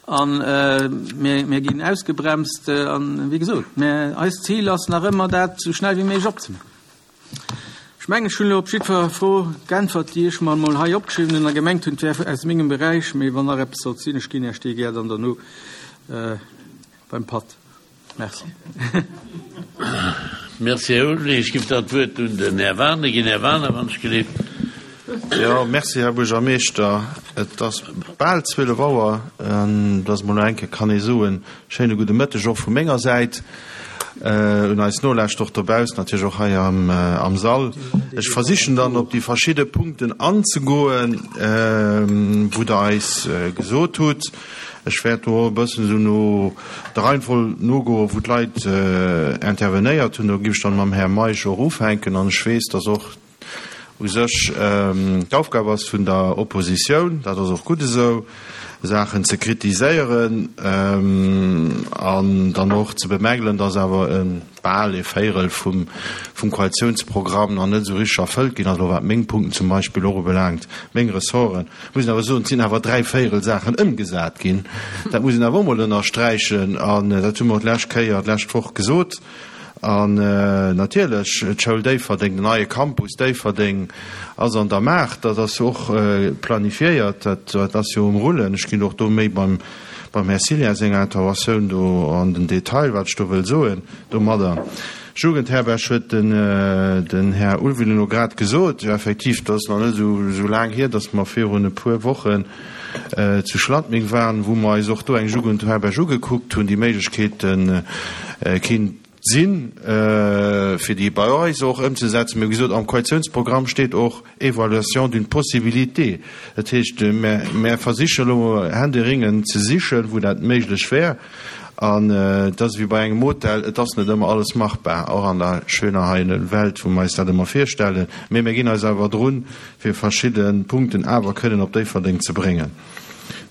a mir, mir ginn ausgebremst. An, wéi gesot, mir, eist Zil ass nach ëmmer, dat esou schnell wéi méiglech opzemaachen. Ech mengen, ech hunn elo op jiddwer Fro geäntwert, déi ech mer emol hei opgeschriwwen hunn a gemengt hunn, et wär aus mengem Beräich. Mee wann nach eppes sollt sinn, ech ginn Iech déi gär dann derno beim Patt. Merci. Merci, Här Ulrich. Ech ginn dann d'Wuert un den Här Wagener ginn. Här Wagener, wann ech gelift. Jo, merci, Här Buergermeeschter. Et ass bal 12 Auer. Et ass emol nach eng Kéier, kann ee soen, schéine gudde Mëtteg och vu menger Säit un eis Nolauschterer och dobaussen, natierlech och hei am Sall. Ech versichen dann op déi verschidde Punkten anzegoen, wou Der eis gesot hutt. Ech wäert do och e bëssen esou no der Reihenfolg nogoen, wou d'Leit intervenéiert hunn. Do giff ech dann mam Här Meisch och ufänken. An ech weess, dass och u sech d'Aufgab ass vun der Oppositioun, dat ass och gutt esou. Saachen ze kritiséieren an dann och ze bemängelen, dass awer e bal e Véierel vum Koalitiounsprogramm nach net esou richteg erfëllt ginn ass, elo wat meng Punkten zum Beispill och ubelaangt, meng Ressorten. Muss een awer soen, et sinn awer 3 Véierel Saachen ëmgesat ginn. Dat muss een awer och emol ënnersträichen an dat hu mer och d'lescht Kéier, d'lescht Woch gesot. An natierlech, d'Schoul Déifferdeng, den neie Campus Déifferdeng ass an der Maach. Dat ass jo och planifiéiert, dat ass jo um Rullen. Ech ginn och do méi beim Här Cillien senger Interventioun do an den Detail, wat ech do wëll soen domadder. Jugendherberg huet den Här Ulveling elo grad gesot. Jo, effektiv, dat ass nach net esou laang hier, datt mer virun e puer Wochen zu Schladming waren, wou mer eis och do eng Jugendherberg ugekuckt hunn, déi Méiglechkeete kinnt sinn, fir déi bei eis och ëmzesetzen. Mee wéi gesot, am Koalitiounsprogramm steet och Évaluation d'une possibilité. Dat heescht, mer versichen elo händeringend ze sichen, wou dat méiglech wär. An et ass ewéi bei engem Hotel, et ass net ëmmer alles machbar, och an der schöner heilen Welt, wou mer eis dat ëmmer virstellen. Mee mir ginn eis awer drun, fir verschidde Punkten awer kënnen op Déifferdeng ze bréngen.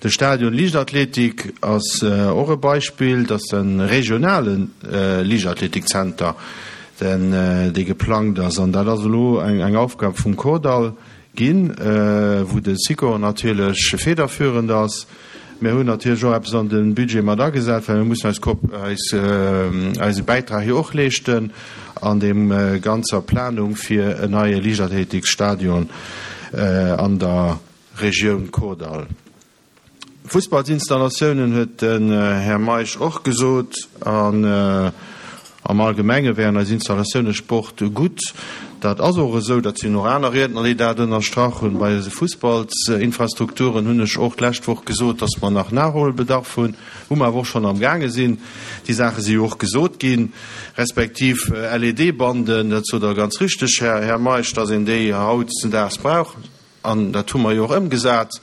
De Stadion Liichtathletik ass och e Beispill, dat ass e regionale Liichtathletikzenter, dee geplangt ass. An dat ass elo eng Aufgab vum Kordall ginn, wou de Sikor natierlech federführend ass. Mir hunn natierlech och eppes an de Budget mat agesat, well mir mussen eis Kop, eis, eise Bäitrag jo och leeschten an deem ganzer Planung fir en neie Liichtathletiksstadion an der Regioun Kordall. Fussballsinstallatiounen huet den Här Meisch och gesot. An am Allgemenge wären eis Installatioune Sport gutt. Dat ass och esou. Dat sinn och aner Riedner, déi dat ënnerstrach hunn. Bei eise Fussballsinfrastrukturen hunn ech och d'lescht Woch gesot, dass mer nach Nachholbedarf hunn, wou mer awer och schonn amgaange sinn. Déi Saache si jo och gesot ginn, respektiv LED-Banden, dat sot Der ganz richteg, Här Meisch, dass een déi hautdesdaags brauch. An dat hu mer jo och ëmgesat.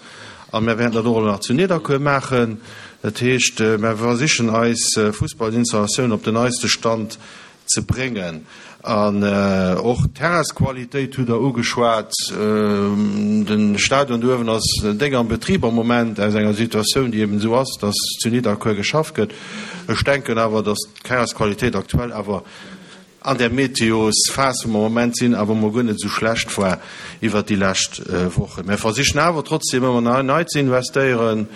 A mer wäerten dat och elo nach zu Nidderkuer maachen. Dat heescht, mer versichen eis Fussballinstallatioun op den neiste Stand ze bréngen. An och d'Terrainsqualitéit hutt Der ugeschwat. De Stadion do uewen ass déck am Betrib am Moment, aus enger Situatioun, déi eben esou ass, datt zu Nidderkuer geschafft gëtt. Ech denken awer, datt d'Terrainsqualitéit aktuell awer An där Meteosphas, wou mer am Moment sinn, awer emol guer net esou schlecht war iwwert déi lescht Wochen. Mer versichen awer trotzdem ëmmer nei nei ze investéieren.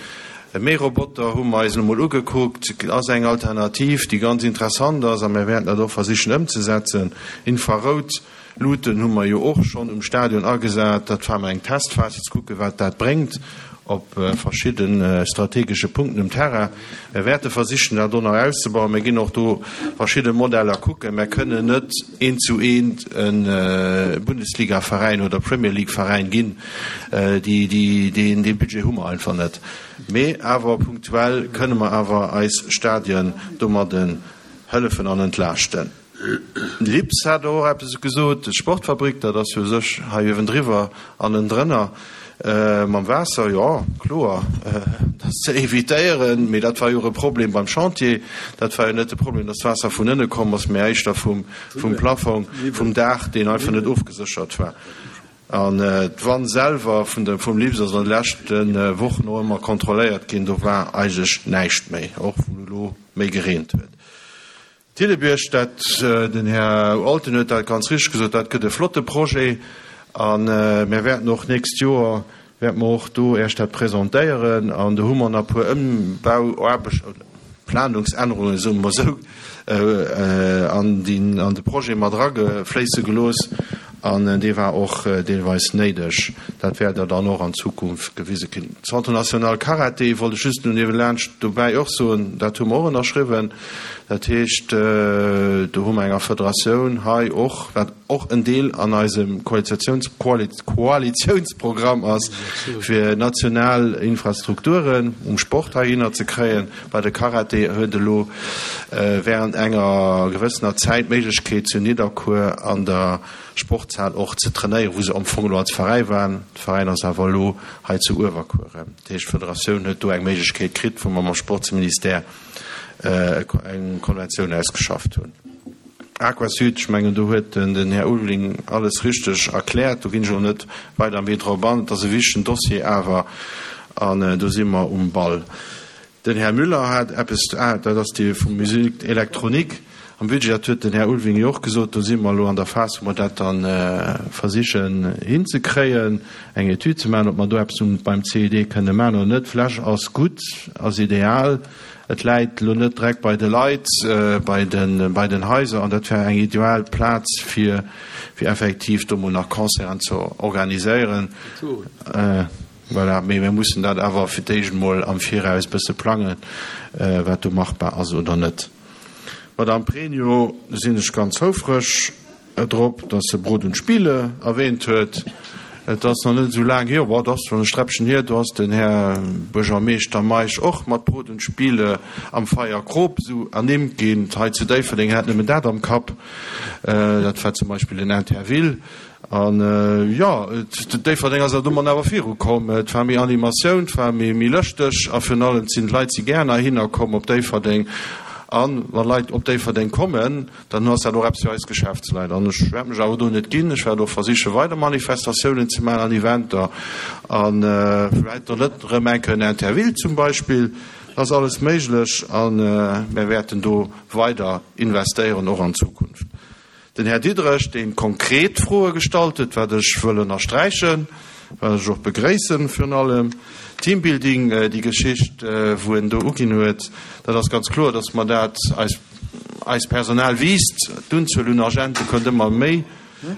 Méi Roboter hu mer eis elo mol ugekuckt, ass eng Alternativ, déi ganz interessant ass a mer wäerten dat och versichen ëmzesetzen. Infrarout Luuten hu mer jo och schonn um Stadion agesat. Dat war mol eng Testphas, fir ze kucken, wat dat bréngt op verschidde strategesche Punkten um Terrain. Mer wäerte versichen, dat och nach auszebauen. Mer ginn och do verschidde Modeller kucken. Mer kënnen net eent zu eent e Bundesligaveräin oder Premier League-Veräin ginn. Dee Budget hu mer einfach net. Mee awer punktuell kënne mer awer eis Stadien domadden hëllefen an entlaaschten. Lips hat och eppes gesot, d'Sportfabrik, dat ass jo u sech hei uewendriwwer an ënndrënner mam Waasser, jo, kloer, dat ass ze evitéieren, mee dat war jo och e Problem beim Chantier. Dat war jo net de Problem, datt d'Waasser vun ënne komm ass, mee éischter vum Plafong, vum Daach, deen einfach net ofgeséchert war. An d'Wann selwer vum Lips ass an de leschte Wochen och ëmmer kontrolléiert ginn, do war eigentlech näischt méi, och wou elo méi gereent huet. Thillebierg, dat, den Här Alten huet dat ganz richteg gesot, dat gëtt e flotte Projet a mir wäerten och d'nächst Joer wäerte mer och do Iech dat presentéieren an do hu mer nach e puer Ëmbauaarbechten oder Planungsännerungen, soe mer esou, an de Projet mat eragefléisse gelooss an dee war och deelweis néideg. Dat wäert Der dann och an Zukunft gewise kinn. Centre national Karate wollt ech just no niewelaanscht dobäi och soen, dat hu mer och ënnerschriwwen. Dat heescht, do hu mer enger Federatioun hei och, wat och en Deel an eisem Koalitiounsprogramm ass, fir national Infrastrukturen um Sport heihinner ze kréien. Well de Karate huet elo während enger gewëssener Zäit d'Méiglechkeet zu Nidderkuer an der Sportshal och ze trainéieren, wou se am Fong elo als Veräi waren. De Veräin ass awer elo hei zu Uewerkuer. Dat heescht, d'Federatioun huet do eng Méiglechkeet kritt, wou mer mam Sportsministère eng Konventioun ausgeschafft hunn. Aquasud, ech mengen, do huet den Här Ulveling alles richteg erkläert. Do ginn ech elo net weider méi drop an. Et ass e wichtegen Dossier awer. An do si mer um Ball. Den Här Müller hat eppes, ah, dat ass dee vum Musique électronique am Budget, dat huet den Här Ulving jo och gesot, do si mer elo an der Phas, wou mer dat da versichen hinzekréien, eng Etüd ze maachen, ob mer do eppes beim CID kënne maachen oder net. Vläch ass gutt, ass ideal, et läit elo net direkt bei de Leit, bei de, bei den Haiser, an dat wär eng ideal Plaz, fir, fir effektiv do mol nach Concerten ze organiséieren. Voilà, mee mir mussen dat awer fir d'éischt emol am Viraus e bësse plangen, wat do machbar ass oder net. D'Madame Pregno sinn ech ganz houfreg drop, dass se Brot und Spiele erwähnt huet. Et ass nach net esou laang hier, bon, et ass schonn e Sträppchen hier, do ass den Här Buergermeeschter Meisch och mat Brot und Spiele am Feierkrop esou ernimmt ginn. Hei zu Déifferdeng hat nëmmen dat am Kapp, dat war zum Beispill den Interville. An jo, Déifferdeng ass awer domat awer viru komm. Et war méi Animatioun, et war méi méi lëschteg a virun allem sinn d'Leit si gär heihinner komm op Déifferdeng. An wa Leit op Déifferdeng kommen, dann ass dat och eppes fir eis Geschäftsleit. An ech wäert mech awer do net ginn. Ech wäert och versiche weider Manifestatiounen ze maachen an Eventer a vläicht och net erëm eng Kéier en Interville zum Beispill. Et ass alles méiglech a mir wäerten do weider investéieren, och an Zukunft. Den Här Diderich, dee konkret Froe gestallt huet, wat ech wëll ënnersträichen, wat ech och begréissen, virun allem Teambuilding, déi Geschicht, wou en do uginn huet, dat ass ganz kloer, dass mer dat, eis, eist Personal wiisst, d'Unzuel un Agente kënnt ëmmer méi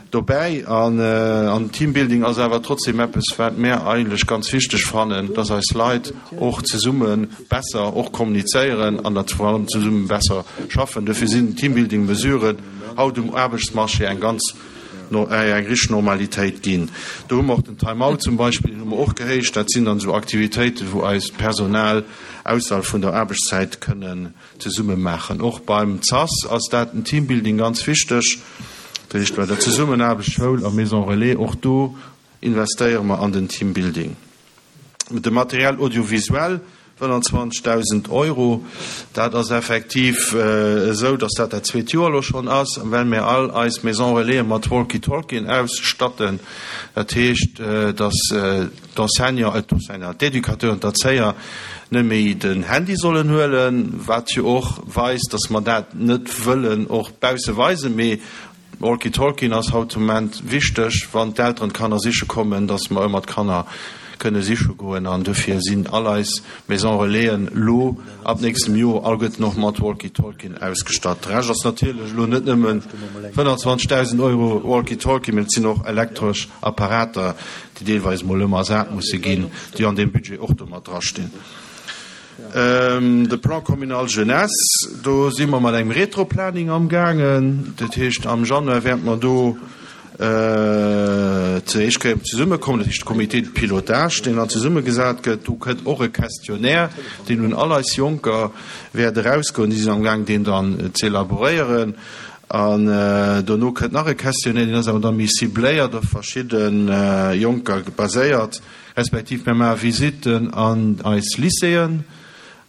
dobäi an, an Teambuilding ass awer trotzdem eppes, wat mär eigentlech ganz wichteg fannen, dass eis Leit och zesumme besser och kommunizéieren an datt vor allem zesumme besser schaffen. Dofir sinn Teambuilding-Mesuren haut um Aarbechtsmarché eng ganz eng richteg Normalitéit ginn. Do hu mer och den Time-out zum Beispill, deen hu mer och gehéicht. Dat sinn dann esou Aktivitéiten, wou eist Personal ausserhalb vun der Aarbechtszäit kënnen zesumme maachen. Och beim CAS ass dat den Teambuilding ganz wichteg, dat heescht bei der Zesummenaarbecht Schoul a Maison Relais, och do investéiere mer an den Teambuilding. De Matériel audiovisuel, 25.000 Euro, dat ass effektiv esou, datt dat dat zweet Joer elo schonn ass, well mir all eis Maison Relaisen mat Walkie-Talkien ausstatten. Dat heescht, datt d'Enseignant, d'Enseignant, d'Educateuren, d'Erzéier net méi den Handy sollen huelen, wat jo och weist, datt mer dat net wëllen och bausse weisen, mee Walkie-Talkien ass haut de Moment wichteg, wann d'Elteren d'Kanner siche kommen, dass mer ëmmer d'Kanner kënne siche goen. An dofir sinn all eis Maison Relaisen lo ab nächstem Joer alleguerten och mat Walkie-Talkien ausgestatt. De Rescht ass natierlech elo net nëmme 25.000 Euro Walkie-Talkie, mee et sinn och elektresch Apparater, déi deelweis emol ëmmer ersat musse ginn, déi an deem Budget och do mat drastinn. De Plan communal jeunesse, do si mer mat engem Retroplaning amgaangen. Dat heescht, am Januar wäerte mer do zur éischt Kéier zesummekommen, dat heescht de Comité de pilotage, deen dann zesummegesat gëtt. Do kënnt och e Questionnaire, deen un all eis Jonker wäert erausgoen. Déi sinn amgaang, deen dann z'elaboréieren. An dono kënnt nach e Questionnaire, deen ass awer da méi cibléiert, op verschidde Jonker baséiert. Respektiv mir maache Visitten an eis Lycéeën.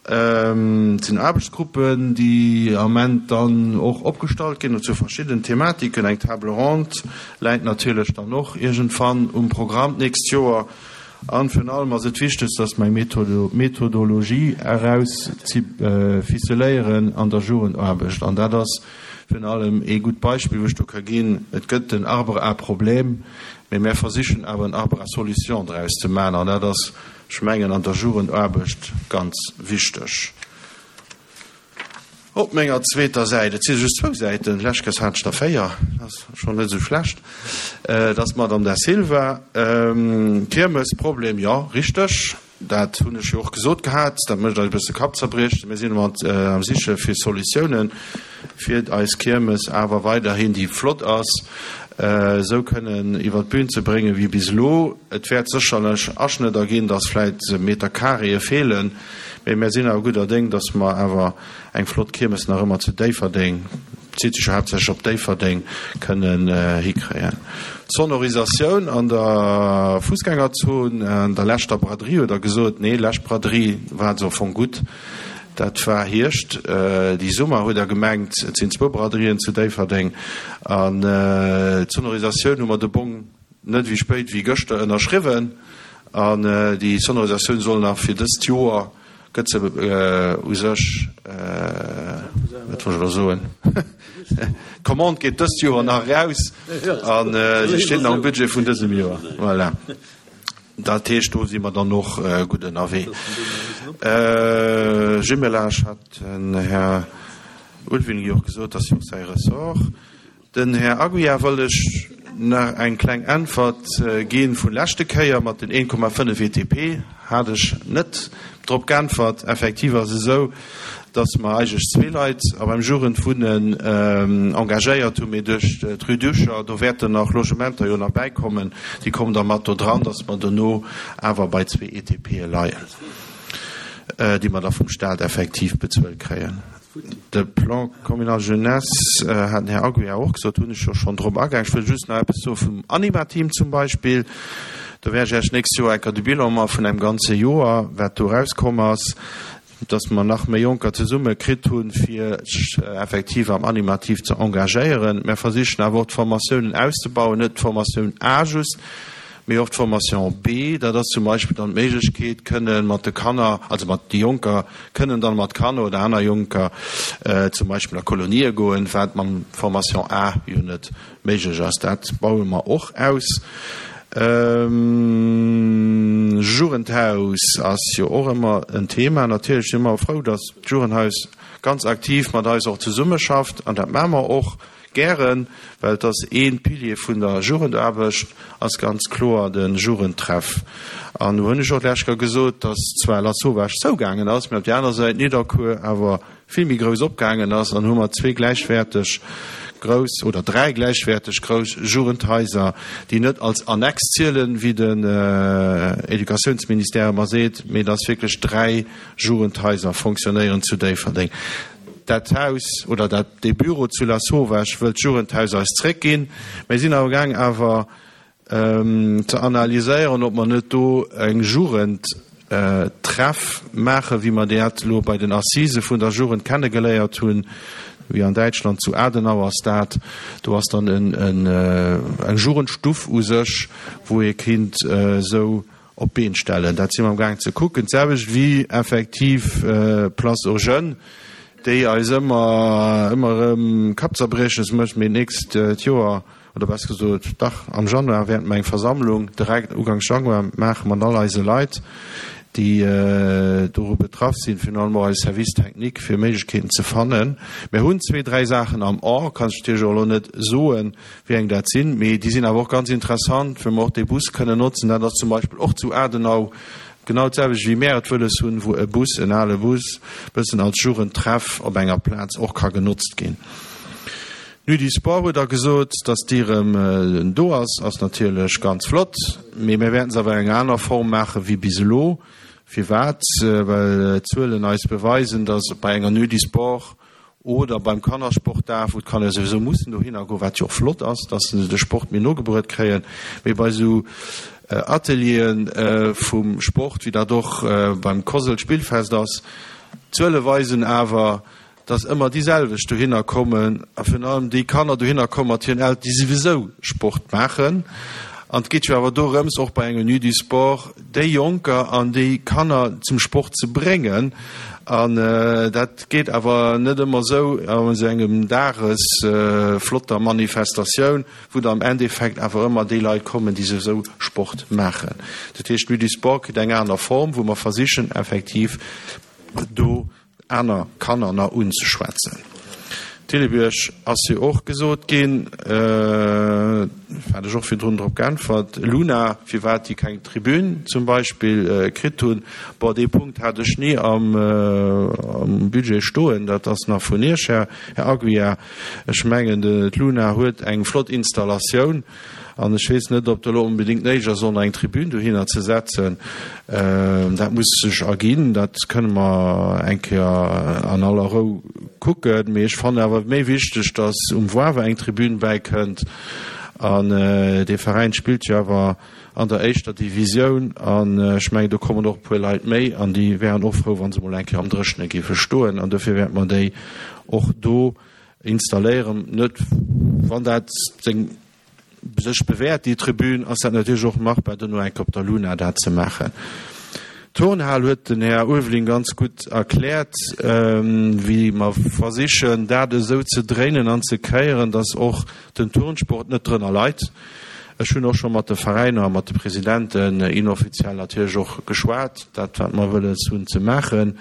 Et sinn Aarbechtsgruppen, déi am Ament dann och opgestallt ginn zu verschiddenen Thematiken. Eng Table ronde läit natierlech dann och iergendwann um Programm d'nächst Joer. An virun allem ass et wichteg, dass mer eng Methodologie erausficeléieren an der Jugendaarbecht. An dat ass virun allem ee gutt Beispill, wou ech do ka ginn. Et gëtt den Arbre à problèmes. Mee mär versichen awer en Arbre à solutions draus ze maachen, an dat ass, ech mengen, an der Jugendaarbecht ganz wichteg. Op menger zweeter Säit, et si just zwou Säiten, d'lescht Kéiers hat ech der véier, dat ass schonn net esou schlecht, dat ass d'Madame Da Silva. Kiermesproblem, jo, richteg. Dat hunn ech jo och gesot gehat, dat mécht eis e bësse Kappzerbriechen. Mir sinn mat am Siche fir Solutiounen, fir eis Kiermes awer weiderhin, déi flott ass, esou kënnen iwwer d'Bün ze bréngen wéi bis elo. Et wäert sécherlech Aschnëdder ginn, dass vläit Meterkareeë feelen, mee mir sinn awer gudder Déng, dass mer awer eng flott Kiermes nach ëmmer zu Déifferdeng, bezitt sech jo haaptsächlech op Déifferdeng, kënnen hikréien. D'Sonorisatioun an der Fussgängerzon, an der leschter Braderie huet Der gesot, nee, lescht Braderie war se au fong gutt, dat war Hierscht, déi Summer huet Der gemengt, et sinn zwou Braderien zu Déifferdeng. An d'Sonorisatioun hu mer de Bong net wéi spéit wéi gëschter ënnerschriwwen. An déi Sonorisatioun soll nach fir dëst Joer, gëtt se u sech, wat wollt ech elo soen, d'Commande geet dëst Joer nach eraus a se steet nach am Budget vun dësem Joer. Voilà. Dat heescht, do si mer dann och gutt ënnerwee. Jumelage hat den Här Ulveling jo och gesot, ass jo och säi Ressort. Den Här Aguiar wëll ech nach eng kleng Äntwert gi vun leschte Kéier mat den 1,5 ETP hat ech net drop geäntwert. Effektiv ass et esou, dass mer eigentlech zwee Leit a beim Jugendwunnen engagéiert hunn, mee duerch d'Rue d'Ucher, do wäerten nach Logementer jo nach bäikommen, déi kommen da mat do dran, dass mer dono awer bei zwee ETPe leien, déi mer da vum Stat effektiv bezuelt kréien. De Plan communal jeunesse hat den Här Aguiar och gesot, hunn ech jo schonn drop agaang. Ech wëll just nach eppes soe vum Anima-Team zum Beispill. Do wäert ech Iech d'nächst Joer enker de Bilan maache vun engem ganze Joer, wat do erauskomm ass, dass mer nach méi Jonker zesumme kritt hunn, fir sech effektiv am Animativ ze engagéieren. Mer versichen awer och d'Formatiounen auszebauen, net d'Formatioun A just, mee och d'Formation B. Dat ass zum Beispill dann d'Méiglechkeet, kënne mat de Kanner, also mat de Jonker, kënnen dann mat Kanner oder aner Jonker zum Beispill a Kolonië goen, wat mam Formation A jo net méiglech ass. Dat baue mer och aus. Jugendhaus ass jo och ëmmer en Thema. Natierlech si mer frou, datt d'Jugendhaus ganz aktiv mat eis och zesummeschafft an dat maache mer och gären, well et ass ee Pilier vun der Jugendaarbecht, ass ganz kloer de Jugendtreff. An do hunn ech och d'lescht Kéier gesot, datt zwar Lasauvage zougaangen ass, mä op där aner Säit Nidderkuer awer vill méi grouss opgaangen ass an hu mer zwee gläichwäerteg grouss oder dräi gläichwäerteg grouss Jugendhaiser, déi net als Annex zielen, wéi den Educatiounsministère ëmmer seet, mee dass wierklech dräi Jugendhaiser fonctionnéieren zu Déifferdeng. Dat Haus oder dat, dee Büro zu Lasauvage wëllt d'Jugendhaus eis zréckginn. Mir sinn amgaang awer ze analyséieren, ob mer net do eng Jugendtreff maachen, wéi mer dat elo bei den Assisë vun der Jugend kennegeléiert hunn, wéi an Däitschland zu Adenau ass dat. Do ass dann eng Jugendstuff u sech, wou ee kinnt esou op d'Been stellen. Dat si mer amgaang ze kucken. D'selwecht wéi effektiv Place aux jeunes, déi eis ëmmer, ëmmer erëm Kappzerbrieches mécht, mee d'nächst Joer, oder besser gesot, dach, am Januar wäerte mer eng Versammlung direkt uganks Januar maache mat all eise Leit, déi doru betraff sinn, virun allem och eise Service technique, fir Méiglechkeeten ze fannen. Mir hunn zwee, dräi Saachen am A, kann ech natierlech och elo net soen, wéi eng dat sinn, mee déi sinn awer och ganz interessant, wou mer och dee Bus kënnen notzen. Dat ass zum Beispill och zu Adenau genau d'selwecht, wéi mär et wëlles hunn, wou e Bus, en ale Bus, bëssen als Jugendtreff op enger Plaz och ka genotzt ginn. D'Nuit du Sport huet Der gesot, dass déi erëm do ass, ass natierlech ganz flott, mee mir wäerten se awer an enger aner Form maache wéi bis elo. Firwat? Well d'Zuelen eis beweisen, dass bei enger Nuit du Sport oder beim Kannersportdag, wou d'Kanner souwisou mussen dohinner goen, wat jo och flott ass, dass se de Sport méi no gebruet kréien, mee bei esou Ateliere vum Sport, wéi dat och beim Cosel Spillfest ass, d'Zuele weisen awer, dass ëmmer déi selwecht dohinner kommen a virun allem déi Kanner dohinner komme mat hiren Elteren, déi souwisou Sport maachen. An et geet jo awer dorëms, och bei engem Nuit du Sport, déi Jonker an déi Kanner zum Sport ze bréngen. An dat geet awer net ëmmer esou an esou engem Dages flotter Manifestatioun, wou da am Endeffekt awer ëmmer déi Leit kommen, déi souwisou Sport maachen. Dat heescht, d'Nuit du Sport kritt eng aner Form, wou mer versichen effektiv do aner Kanner nach unzeschwätzen. Thillebiërg ass jo och gesot ginn, hat ech och virdrun drop geäntwert. Luna, firwat déi keng Tribün zum Beispill kritt hunn, bon, dee Punkt hat ech ni am Budget stoen, dat ass nach vun Iech, Här Aguiar. Ech mengen, d'Luna huet eng flott Installatioun. An ech weess net, ob et elo onbedéngt néideg ass, och nach eng Tribün dohinner ze setzen. Dat muss sech erginn. Dat kënne mer eng Kéier an aller Rou kucken. Mee ech fannen awer méi wichteg, datt um Wawer eng Tribün bäikënnt. An dee Veräin spillt jo awer an der éischter Divisioun. An ech mengen, do kommen och e puer Leit méi. An déi wären och frou, wa se mol eng Kéier am Dréchene géife stoen. An dofir wäerte mer déi och do installéieren. Net, wann dat seng. sech bewährt, déi Tribün, ass dat natierlech och machbar, duerno eng Kéier op der Luna dat ze maachen. D'Turnhal huet den Här Ulveling ganz gutt erkläert, wéi mer versichen, dat esou ze dréinen an ze kéieren, dass och den Turnsport net drënner leit. Ech hunn och scho mat de Veräiner a mat de Presidenten inoffiziell natierlech och geschwat, dat wat mer wëlles hunn ze maachen,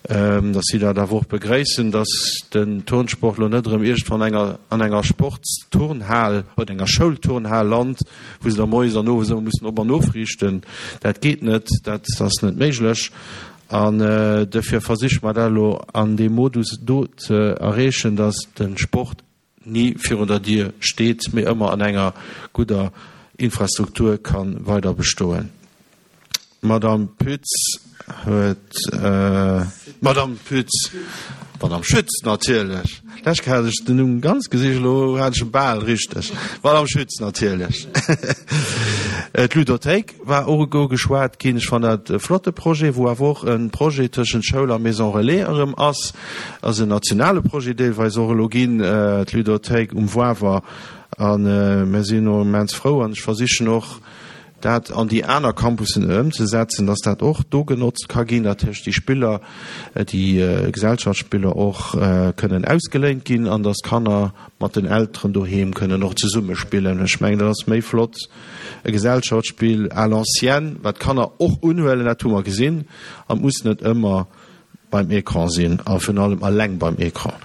dass si dat awer och begréissen, dass den Turnsport elo net erëm iergendwann enger an enger Sportsturnhal oder enger Schoulturnhal lant, wou se da moies an owes ëmmer mussen op an ofriichten. Dat geet net, dat ass net méiglech. An duerfir versiche mer dat elo an deem Modus do ze erreechen, dass de Sport ni virun der Dier steet, mee ëmmer an enger gudder Infrastruktur ka weider bestoen. D'Madame Pütz huet, d'Madame Pütz, d'Madame Schütz natierlech, lech hat ech den Numm ganz gesicht, elo hat ech e bal richteg, d'Madame Schütz natierlech. D'Ludothéik war och ugeschwat ginn. Ech fannen dat e flotte Projet, wou awer och e Projet tëschent Schoul a Maison Relais erëm ass. Ass en nationale Projet deelweis och elo ginn, d'Ludothéik um Wawer. A mir sinn och immens frou an ech versichen och, dat an déi aner Campussen ëmzesetzen, dass dat och do genotzt ka ginn, dat heescht déi Spiller, déi Gesellschaftsspiller och kënnen ausgeléint ginn an dass d'Kanner mat den Elteren doheem kënnen och zesumme spillen. Ech mengen, dat ass méi flott, e Gesellschaftsspill à l'ancienne, wat d'Kanner och unhuelen, dat hu mer gesinn, an et muss net ëmmer beim Ecran sinn a virun allem eleng beim Ecran.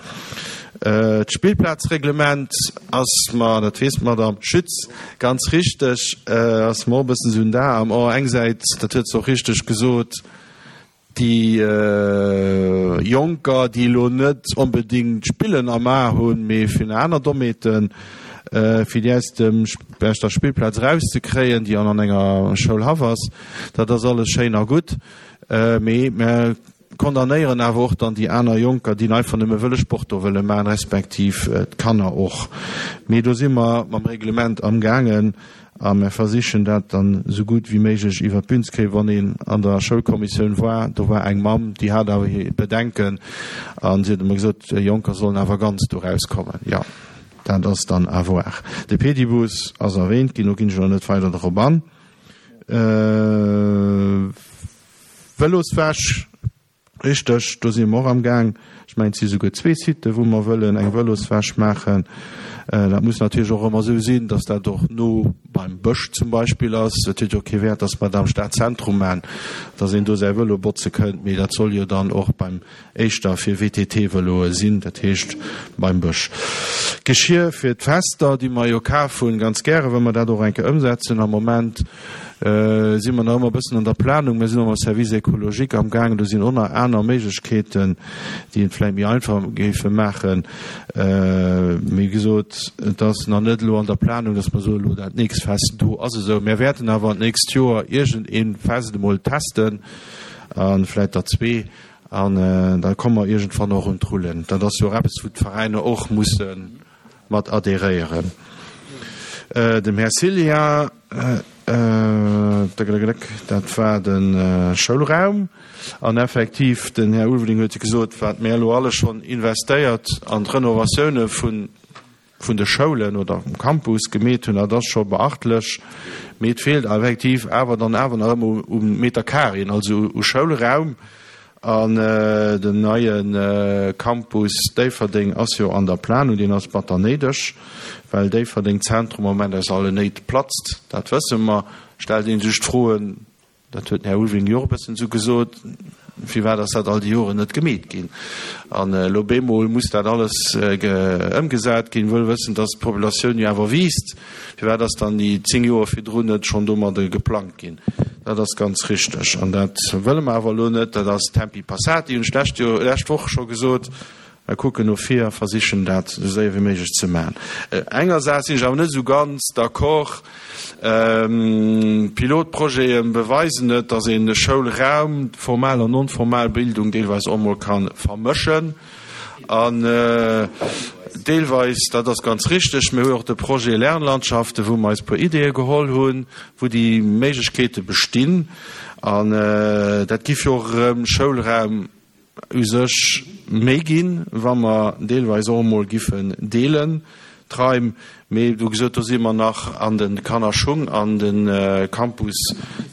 D'Spillplazreglement ass mer, dat weess d'Madame Schütz ganz richteg, ass mer och e bëssen esou en Dar am A. Eng Säit, dat huet se och richteg gesot, déi Jonker, déi elo net onbedéngt d'Spillen am A hunn, mee fir aner Dommheeten, fir déi aus dem, aus der Spillplaz erauszekréien, déi an enger Schoulhaff ass, dat ass alles schéin a gutt. Mee mer condamnéieren awer och dann déi aner Jonker, déi einfach nëmme wëlle Sport do wëlle maachen, respektiv d'Kanner och. Mee do si mer mam Reglement amgaangen a mer versichen dat dann esou gutt wéi méiglech iwwer d'Bün ze kréien. Wann een an der Schoulkommissioun war, do war eng Mamm, déi hat awer hir Bedenken a si huet ëmmer gesot, Jonker sollen awer ganz do rauskommen. Jo, dat ass dann à voir. De Pedibus ass erwähnt ginn, do ginn ech elo net weider drop an. Vëloswäsch, richteg, do si mer och am Gaang. Ech mengen, et si souguer zwee Siten, wou mer wëllen eng Vëloswäsch maachen. Dat muss natierlech och ëmmer esou sinn, datt dat och no beim Bësch zum Beispill ass. Et huet jo kee Wäert, datt mer dat am Stadzentrum maachen, datt een do säi Vëlo botze kënnt, mee dat soll jo dann och beim éischter fir WTT-Vëloe sinn, dat heescht beim Bësch. Geschir fir d'Fester, déi mer jo kaf hunn, ganz gäre wëlle mer dat och eng Kéier ëmsetzen. Am Moment si mer nach ëmmer e bëssen an der Planung. Mir sinn och mam Service écologique am gaangen. Do sinn och nach aner Méiglechkeeten, déi et vläicht méi einfach géife maachen. Mee wéi gesot, et ass nach net elo an der Planung, dass mer soen, elo dat nächst Fest do ass esou. Mir wäerten awer d'nächst Joer iergend ee Fest emol testen a vläicht der zwee. An da komme mer iergendwann och un d'Rullen. Dat ass jo och eppes, wou d'Veräiner och musse mat adhéréieren. Dem Här Cillien, dat war de Schoulraum. An effektiv, den Här Ulveling huet gesot, wat mir elo alles schonn investéiert an d'Renovatioune vun vun de Schoulen oder um Campus gemeet hunn, dat ass scho beachtlech, mee et feelt effektiv awer dann awer nach ëmmer u Meter Carréen, also u Schoulraum. An den neie Campus Déifferdeng ass jo an der Planung, deen ass batter néideg, well Déifferdeng Zentrum am Moment aus allen Néit platzt, dat wësse mer. Stellt ee sech d'Froen, Dat huet den Här Ulveling jo och e bëssen esou gesot, Firwat ass dat all déi Joren net gemeet ginn? An elo bemol muss dat alles ëmgesat ginn, wëll wëssen, dass d'Populatioun jo awer wiisst. Firwat ass dann déi 10 Joer virdrun net schonn domadde geplangt ginn? Dat ass ganz richteg. An dat wëlle mer awer elo net. Dat ass Tempi passati, hunn ech d'lescht Joer, d'lescht Woch scho gesot. Mer kucken no vir a versichen dat esou séier wéi méiglech ze maachen. Enger Saach sinn ech awer net esou ganz d'accord. Pilotprojete beweisen et, datt een de Schoulraum, formal an non-formal Bildung deelweis och emol ka vermëschen. An deelweis, dat ass ganz richteg, mir hu jo och de Projet Lernlandschaften, wou mer eis e puer Ideeë geholl hunn, wou déi Méiglechkeete bestinn. An dat giff jo och erëm Schoulraum u sech méi ginn, wa mer deelweis och emol giffen deelen. D'Raim, mee wou gesot, do si mer nach an de Kannerschung an de Campus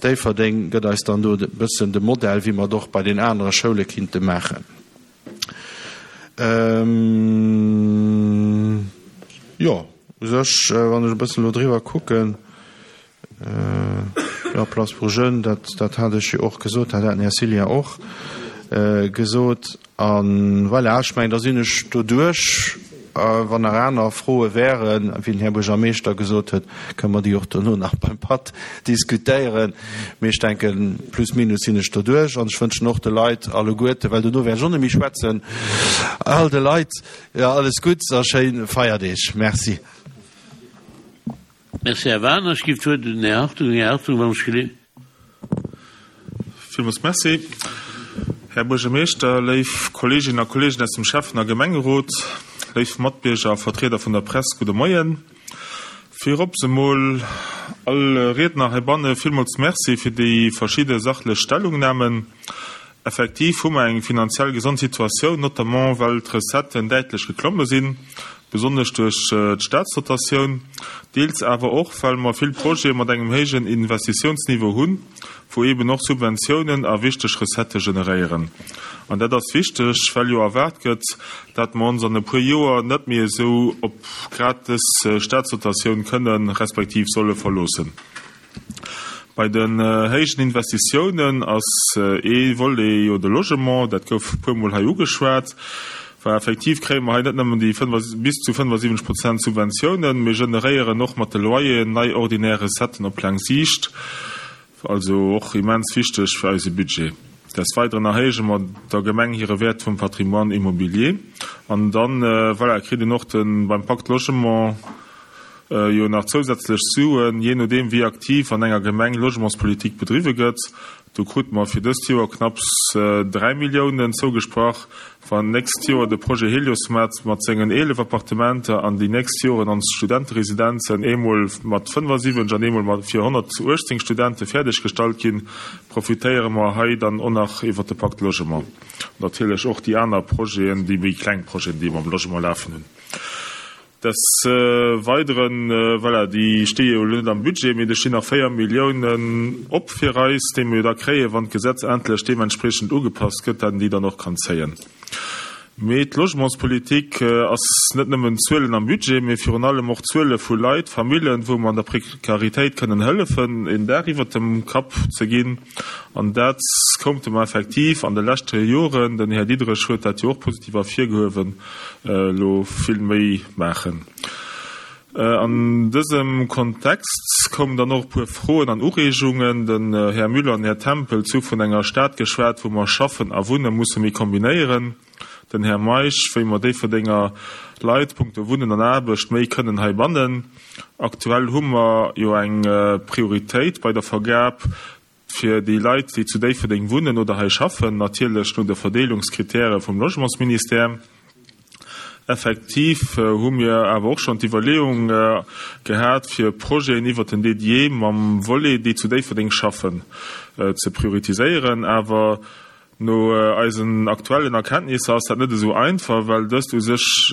Déifferdeng gëtt eis dann do e bëssen de Modell, wéi mer et och bei den anere Schoule kinnte maachen. Jo, u sech, wann ech e bëssen elo driwwer kucken, Jo, Place pour jeunes, dat, dat hat ech jo och gesot, dat hat den Här Cillien och gesot. A voilà, ech mengen, da sinn ech doduerch. Wann nach aner Froe wären, wéi den Här Buergermeeschter gesot huet, kënne mer déi och dono nach beim Patt diskutéieren. Mee ech denken, plus minus sinn ech doduerch. An ech wënschen och de Leit alleguerte, well dono wäert ech och net méi schwätzen, all de Leit, jo, alles Gutts a schéi Feierdeeg. Merci. Merci, Här Wagener. Ech ginn d'Wuert un den Här Hartung. Här Hartung, wann ech gele. Villmools Merci, Här Buergermeeschter, léif Kolleeginnen a Kolleegen aus dem Schäffen a Gemengerot, léif Matbierger a Vertrieder vun der Press, gudde Moien. Virops emol all Riedner heibanne villmools Merci fir déi verschidde sachlech Stellungnamen. Effektiv hu mer eng finanziell gesond Situatioun, notamment well d'Recetten däitlech geklomme sinn, besonnesch duerch d'Staatsdotatioun, deels awer och well mer vill Projete mat engem héijen Investitiounsniveau hunn, wou eeben och Subventiounen a wichteg Recettë generéieren. An dat ass wichteg, well jo erwaart gëtt, dat mer ons an e puer Joer net méi esou op grad dës Staatsdotatioun kënnen, respektiv solle verloossen. Bei den héijen Investitiounen ass ee Volet jo de Logement, dat gouf e puermol hei ugeschwat. Well effektiv kréie mer hei net nëmmen déi bis zu 75 Prozent Subventiounen, mir generéieren och mat de Loyeren nei ordinär Recetten op laang Siicht, also och immens wichteg fir eise Budget. Des Weideren erhéije mer der Gemeng hire Wäert vum Patrimoine immobilier. An dann, voilà, kritt een och de beim Pacte Logement, jo nach zousätzlech Suen, jee nodeem wéi aktiv an enger Gemeng Logementspolitik bedriwwe gëtt. Do krute mer fir dëst Joer knapps 3 Milliounen zougesprach. Wann d'nächst Joer de Projet Heliosmat mat sengen 11 Appartementer an déi nächst Joren ons Studenteresidenzen eemol mat 75 an eemol mat fir 118 Studente fäerdeg gestallt ginn, profitéiere mer hei dann och nach iwwert de Pacte Logement. Natierlech och déi aner Projeten, déi méi kleng Projeten, déi mer am Logement lafen hunn. Des Weideren, voilà, déi sti jo elo net am Budget, mee do stinn nach 4 Milliounen op fir eis, déi mer jo da kréien, wann d'Gesetz endlech deementspreechend ugepasst gëtt, dat een déi dann och kann zéien. Mee d'Logementspolitik ass net nëmmen Zuelen am Budget, mee virun allem och Zuele vu Leit, Famillen, wou mer an der Prekaritéit kënnen hëllefen, een Daach iwwert dem Kapp ze ginn. An dat koumte mer effektiv an de leschte Joren, den Här Diderich huet dat jo och positiv ervirgehuewen, elo vill méi maachen. An dësem Kontext koumen dann och e puer Froen an Ureegungen. Den Här Müller an den Här Tempel hu vun enger Stad geschwat, wou mer Schaffen a Wunne musse méi kombinéieren. Den Här Meisch, wéi mer Déifferdenger Leit punkto Wunnen an Aarbecht méi kënnen hei bannen. Aktuell hu mer jo eng Prioritéit bei der Vergab fir déi Leit, déi zu Déifferdeng wunnen oder hei schaffen, natierlech no de Verdeelungskritäre vum Logementsministère. Effektiv hu mir awer och schonn d'Iwwerleeung gehat, fir Projeten iwwert den DDE mam Volet, déi zu Déifferdeng schaffen, ze prioritiséieren. Awer No eisen aktuellen Erkenntnisser ass dat net esou einfach, well dëst u sech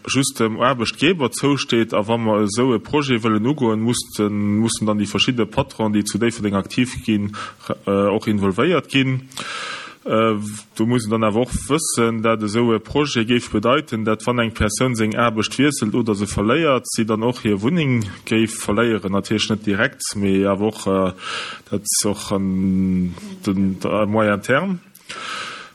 just dem Aarbechtgeber zousteet. A wa mer esou e Projet wëllen ugoen, mussen dann déi verschidde Patronen, déi zu Déifferdeng aktiv ginn, och involvéiert ginn. Do muss een dann awer och wëssen, dat esou e Projet géif bedeiten, dat wann eng Persoun seng Aarbecht wiesselt oder se verléiert, si dann och hir Wunneng géif verléieren. Natierlech net direkt, mee awer och Dat ass och an den à moyen terme.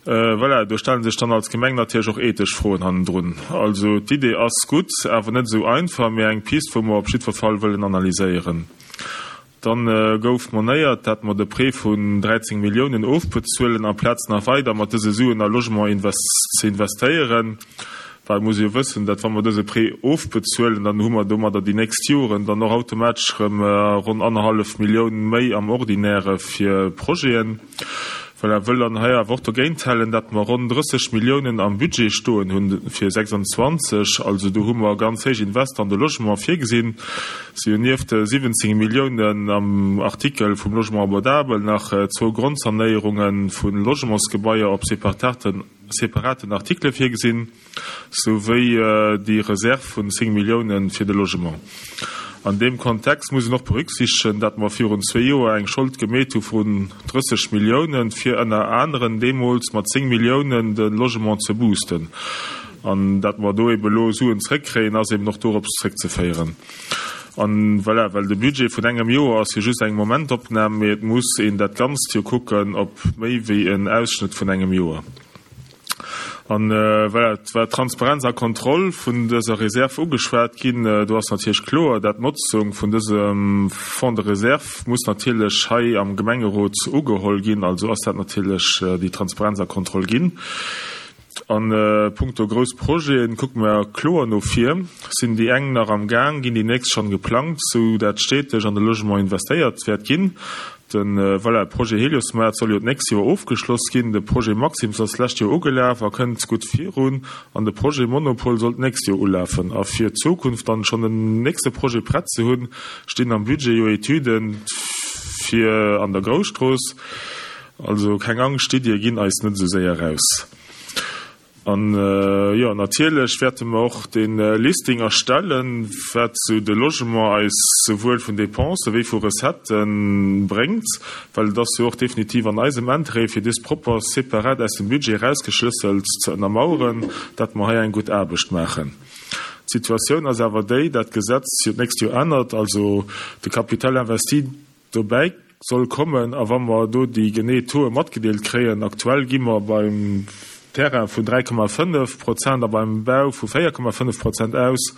Voilà, do stelle sech dann als Gemeng natierlech och ethesch Froen hannendrun. Also d'Idee ass gutt, awer net esou einfach, mee eng Pist, wou mer op jiddwer Fall wëllen analyséieren. Dann gouf monéiert, dat mer de Prêt vun 13 Milliounen ofbezuelen, amplaz nach weider mat dëse Suen a Logement ze investéieren. Well et muss ee jo wëssen, dat wa mer dëse Prêt ofbezuelen, dann hu mer domadder déi nächst Joren dann och automatesch erëm ronn annerhallef Millioun méi am Ordinäre fir Projeten. Voilà, wëll dann hei awer och dogéint halen, dat mer ronn 30 Milliounen am Budget stoen hunn fir 26. Also do hu mer ganz héich Invester an de Logement virgesinn. Si hunn nieft de 17 Milliounen am Artikel vum Logement abordable nach zwou Grondsanéierunge vu Logementsgebaier op separaten Artikele virgesinn. Sou wéi déi Reserv vun 10 Milliounen fir de Logement. An deem Kontext muss een och berücksichtegen, dat mer virun zwee Joer eng Schold gemeet hu vun 30 Milliounen, fir ënner aneren deemools mat 10 Milliounen de Logement ze boosten. An dat mer do ebe elo Suen zréckkréien, ass eben och dorops zréckzeféieren. An voilà, well de Budget vun engem Joer ass jo just eng Momentopnam, mee et muss een dat Ganzt jo kucken op méi wéi en Ausschnëtt vun engem Joer. An voilà, et war d'Transparenz a Kontroll vun dëser Reserv ugeschwat ginn. Do ass natierlech kloer, dat d'Notzung vun dësem Fonds de réserve muss natierlech hei am Gemengerot ugeholl ginn. Also ass dat natierlech déi Transparenz a Kontroll ginn. A punkto grouss Projeten kucke mer kloer no vir. Sinn déi eng nach am Gaang, ginn déi nächst schonn geplangt, sou dat steeteg an de Logement investéiert wäert ginn. De voilà, Projet Heliosmaart soll jo d'nächst Joer ofgeschloss ginn. De Projet Maxim's ass d'lescht Joer ugelaf a kënnt gutt virun. An de Projet Monopol soll d'nächst Joer ulafen. A fir d'Zukunft dann schonn den nächste Projet prett ze hunn, stinn am Budget jo Etüden fir an der Grousstrooss. Also keng Angscht, d'Iddie ginn eis net esou séier raus. An jo, natierlech wäerte mer och de Listing erstellen, wat esou de Logement eis souwuel vun Dépensen wéi vu Recettë bréngt, well et ass jo och definitiv an eisem Interêt, fir dës propper separat aus dem Budget erausgeschlësselt ze ënnermaueren, dat mer hei eng gutt Aarbecht maachen. D'Situatioun ass awer déi, dat d'Gesetz jo d'nächst Joer ännert, also de Capital investi dobäi soll kommen a wa mer do déi genee Tauxe matgedeelt kréien, aktuell gi mer beim Terrain vun 3,5 Prozent a beim Bau vu 4,5 Prozent aus,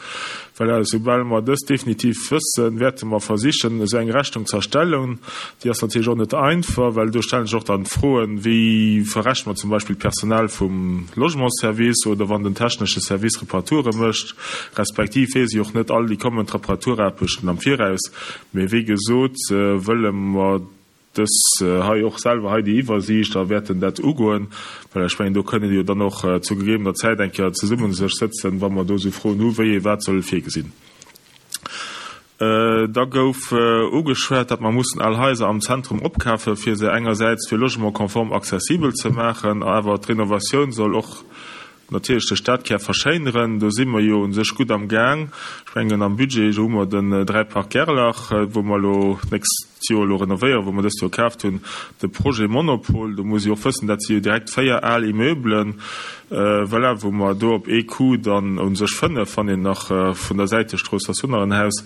well esoubal mer dëst definitiv wëssen, wäerte mer versichen, esou eng Rechnung ze erstellen. Déi ass natierlech och net einfach, well do stelle sech och dann d'Froen, wéi verrechne mer zum Beispill d'Personal vum Logementsservice oder wann den technesche Service Reparature mécht, respektiv weess ech och net all déi kommend Reparaturaarbechten am Viraus. Mee wéi gesot wëlle mer dës hei och selwer hei déi Iwwersiicht a wäerten dat ugoen, well ech mengen, do kënnen jo dann och zu gegebener Zäit eng Kéier zesumme sech sëtzen, wa mer do esou Froen hu wéi ee wat soll virgesinn. Da gouf ugeschwat, datt mer mussen al Haiser am Zentrum opkafe fir se engersäits fir Logement konform accessibel ze maachen, awer d'Renovatioun soll och Natierlech de Stadkär verschéineren, do si mer jo u sech gutt am Gaang. Ech mengen am Budget hu mer den 3 Parc Gerlach, wou mer elo d'nächst Joer elo renovéieren, wou mer dëst Joer kaaft hunn. De Projet Monopol, do muss ee och wëssen, dat si jo direkt 4 al Immeublen, voilà, wou mer do op ee Coup dann u sech 5, wann een nach vun der Säitestrooss ass jo nach en Haus,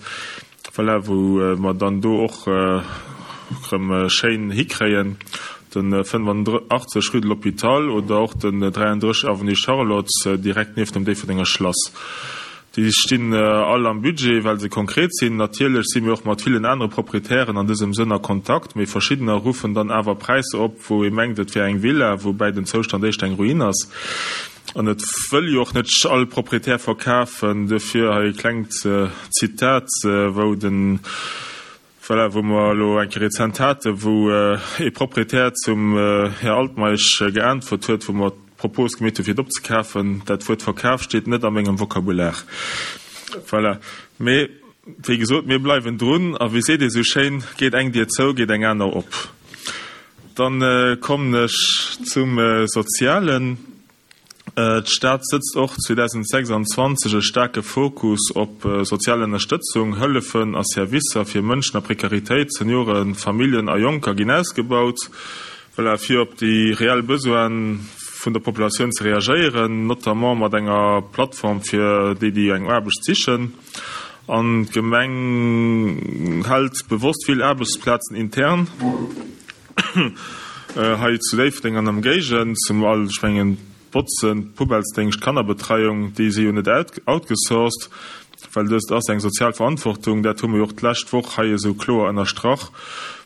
Voilà, wou mer dann do och erëm schéin hikréien, de 85 rue de l'Hôpital oder och den 33 avenue Charlotte, direkt nieft dem Déifferdenger Schlass. Déi stinn all am Budget, well se konkret sinn. Natierlech si mir och mat villen anere Proprietären an dësem Sënn a Kontakt, mee verschiddener ruffen dann awer Präisser op, wou ee mengt, et wär eng Villa, woubäi den Zoustand éischter eng Ruin ass. An et wëll jo och net all Proprietär verkafen. Duerfir hei e klengt Zitat, wou den, voilà, wou mer elo eng Kéier rezent haten, wou ee Proprietär zum Här Altmeisch geäntwert huet, wou mer d'Propos gemeet hu fir et opzekafen, Dat Wuert Verkaf steet net a mengem Vokabular. Voilà. Mee wéi gesot, mir bleiwen drun. A wéi seet ee sou schéin, Geet eng Dier zou, geet eng aner op. Dann kommen ech zum Sozialen. D'Stad sëtzt och 2026 e staarke Fokus op sozial Ënnerstëtzung. Hëllefen a Servicer fir Mënschen a Prekaritéit, Senioren, Familljen a Jonker ginn ausgebaut, voilà, fir op déi reell Besoine vun der Populatioun ze reagéieren, notamment mat enger Plattform fir déi, déi eng Aarbecht sichen. An d'Gemeng hält bewosst vill Aarbechtsplazen intern hei zu Déifferdeng an Ëmgéigend, zum all, ech mengen, d'Botzen, d'Poubellesdéngscht, d'Kannerbetreiung, déi si jo net outgesourced, well dëst ass eng sozial Verantwortung. Dat hu mer jo och d'lescht Woch hei esou kloer ënnerstrach.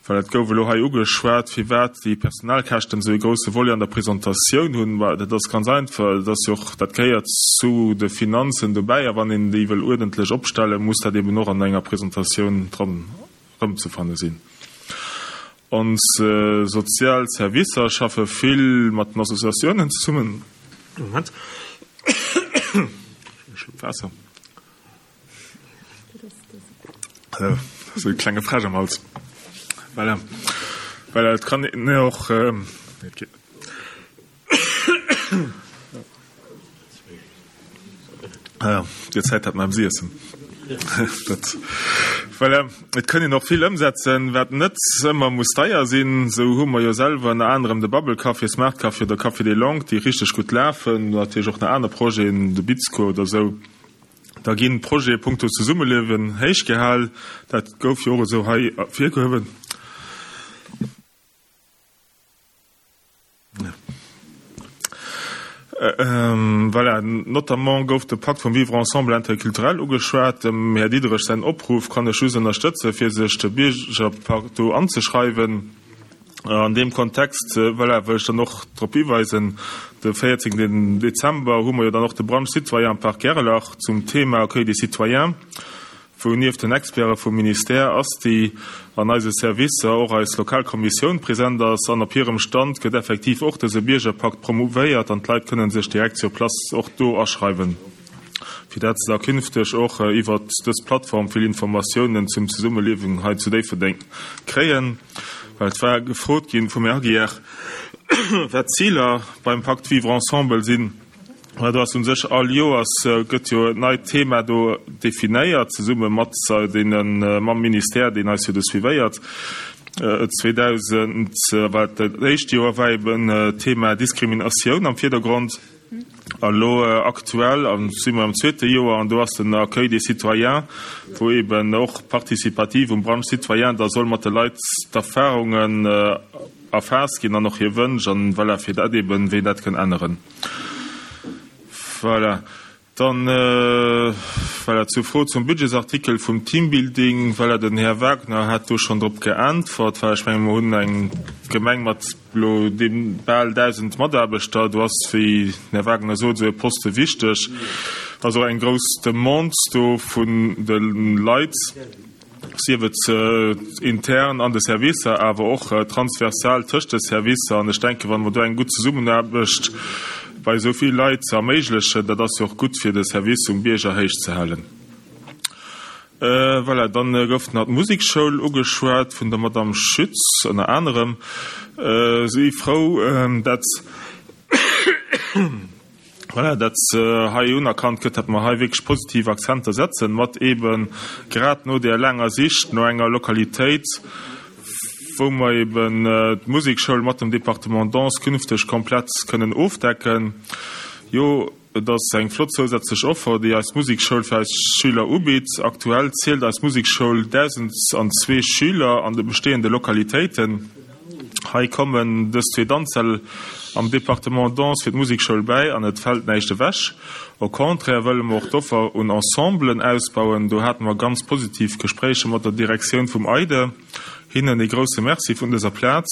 Well et gouf elo hei ugeschwat, firwat déi Personalkäschten esou ee grousse Volet an der Presentatioun hunn. Ma dat ass ganz einfach, dat ass jo och, dat gehéiert zu de Finanzen dobäi. A wann een déi wëll uerdentlech opstellen, muss dat eben och an enger Presentatioun dran erëmzefanne sinn. Ons sozial Servicer schaffe vill mat den Associatiounen zesummen. Moment. E Schlupp Waasser. Esou e klenge Fräsch am Hals. Voilà. Voilà, et kann een och, nee, et geet net. Ah, Dir Zäit hat mam Siessen. Dat, voilà. Et kënn een och vill ëmsetzen, wat net ëmmer muss deier sinn. Sou hu mer jo selwer ënner anerem de Bubble Café, Smart Café oder Café des Langues, déi richteg gutt lafen. Natierlech och nach aner Projeten, de Bizco oder sou. Da ginn d'Projete punkto Zesummeliewen héichgehal. Dat gouf jo och esou hei ervirgehuewen. Voilà, notamment gouf de Pakt vum Vivre ensemble interculturel ugeschwat. Dem Här Diderich säin Opruff kann ech just ënnerstëtzen, fir sech de Biergerpakt do anzeschreiwen. An deem Kontext, voilà, wëll ech dann och drop hiweisen, de 14 Dezember hu mer jo dann och de Brunch citoyen am Parc Gerlach zum Thema Accueil des citoyens. wou nieft den Experte vum Ministère ASTI an eise Servicer och eis lokal Kommissioun present ass an op hirem Stand gëtt effektiv och dëse Biergerpakt promouvéiert an d'Leit kënnen sech direkt sur place och do aschreiwen, fir dat se da künfteg och iwwert dës Plattform vill Informatiounen zum Zesummeliewen hei zu Déifferdeng kréien. Well et war gefrot ginn vum Här Aguiar, wat d'Ziler beim Pacte Vivre ensemble sinn. Mä do ass u sech all Joers gëtt jo en neit Thema do definéiert, zesumme mat deene mam Ministère, deen eis jo do suivéiert. 2000 war dat éischt Joer war eben d'Thema Diskriminatioun am Virdergrond. A lo aktuell si mer am zweete Joer an do ass den Accueil des citoyens, wou eben och participativ um Brunch citoyen da soll mat de Leit d'Erfahrungen erfaasst ginn an och hir Wënsch an voilà, fir dat eben, wéi een dat kënn änneren. Voilà. Dann, voilà, zur Fro zum Budgetsartikel vum Teambuilding. Voilà, den Här Wagner hat do schonn drop geäntwert. Voilà, ech menge mer hunn eng Gemeng mat elo deem bal 1.000 Mataarbechter. Do ass, wéi den Här Wagner sot, esou e Poste wichteg. Ass och eng grouss Demande do vun de Leit. sief et intern an de Servicer, awer och transversal tëscht de Servicer. An ech denken, wa mer do eng gutt Zesummenaarbecht bei esou vill Leit erméiglechen, dat ass jo och gutt, fir de Service um Bierger héich ze halen. Voilà, dann gouf nach d'Musekschoul ugeschwat vun der Madame Schütz ënner anerem. Si frou, dat. Voilà, dat hei unerkannt gëtt, datt mer hei wierklech positiv Akzenter setzen, mat eebe grad no där laanger Sich no enger Lokalitéit, wou mer eeben d'Musekschoul mat dem Département Danse künfteg komplett kënnen ofdecken. Jo, et ass eng flott zousätzlech Offer, déi eis Musekschoul fir eis Schüler ubitt. Aktuell zielt eis Musekschoul 1.002 Schüler an de bestehende Lokalitéiten. Hei kommen dës zwee Danzsäll am Département Danse fir d'Musekschoul bäi an et fält näischt ewech. Au contraire wëlle mer och d'Offer un Ensemblen ausbauen. Do hate mer ganz positiv Gespréicher mat der Direktioun vum EIDE. Hinnen ee grousse Merci vun dëser Plaz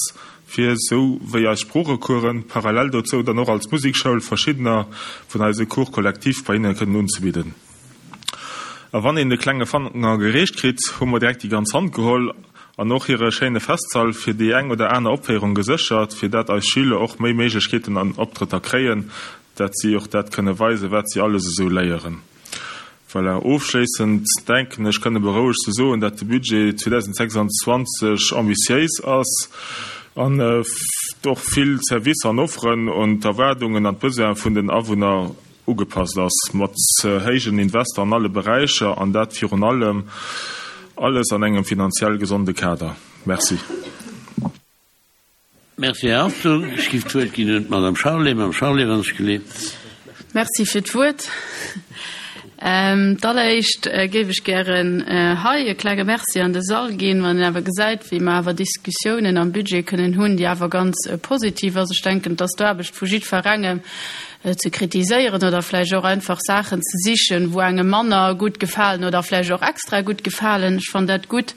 fir, sou wéi eis Sproochecoursen, parallel dozou dann och als Musekschoul verschiddener vun eise Cours collectifs bei hinne kënnen unzebidden. A wann een de klenge Fanger gereecht kritt, hu mer direkt déi ganz Hand geholl an och hire schéine Festsall fir déi eng oder aner Opféierung geséchert, fir dat eis Schüler och méi Méiglechkeeten an Optrëtter kréien, dat si och dat kënne weisen, wat si alles esou léieren. Voilà, ofschléissend denken ech kënne berouegt ze soen, dat de Budget 2026 ambitiéis ass an och vill Servicer an Offeren un d'Erwaardungen an d'Besoine vun den Awunner ugepasst ass, mat héijen Invester an alle Beräicher, an dat virun allem alles an engem finanziell gesonde Kader. Merci. Merci, Här Hartung. Ech géif d'Wuert ginn un d'Madame Charlé. Madame Charlé, wann ech geleet. Merci fir d'Wuert. D'alleréischt géif ech gären hei e klenge Merci an de Sall ginn, wann een awer gesäit, wéi mer awer Diskussiounen am Budget kënnen hunn, déi awer ganz positiv ass. Ech denken, et ass d'Aarbecht vu jiddferengem, ze kritiséieren oder vläicht och einfach Saachen ze sichen, wou engem manner gutt gefalen oder vläicht och extra gutt gefalen. Ech fannen dat gutt.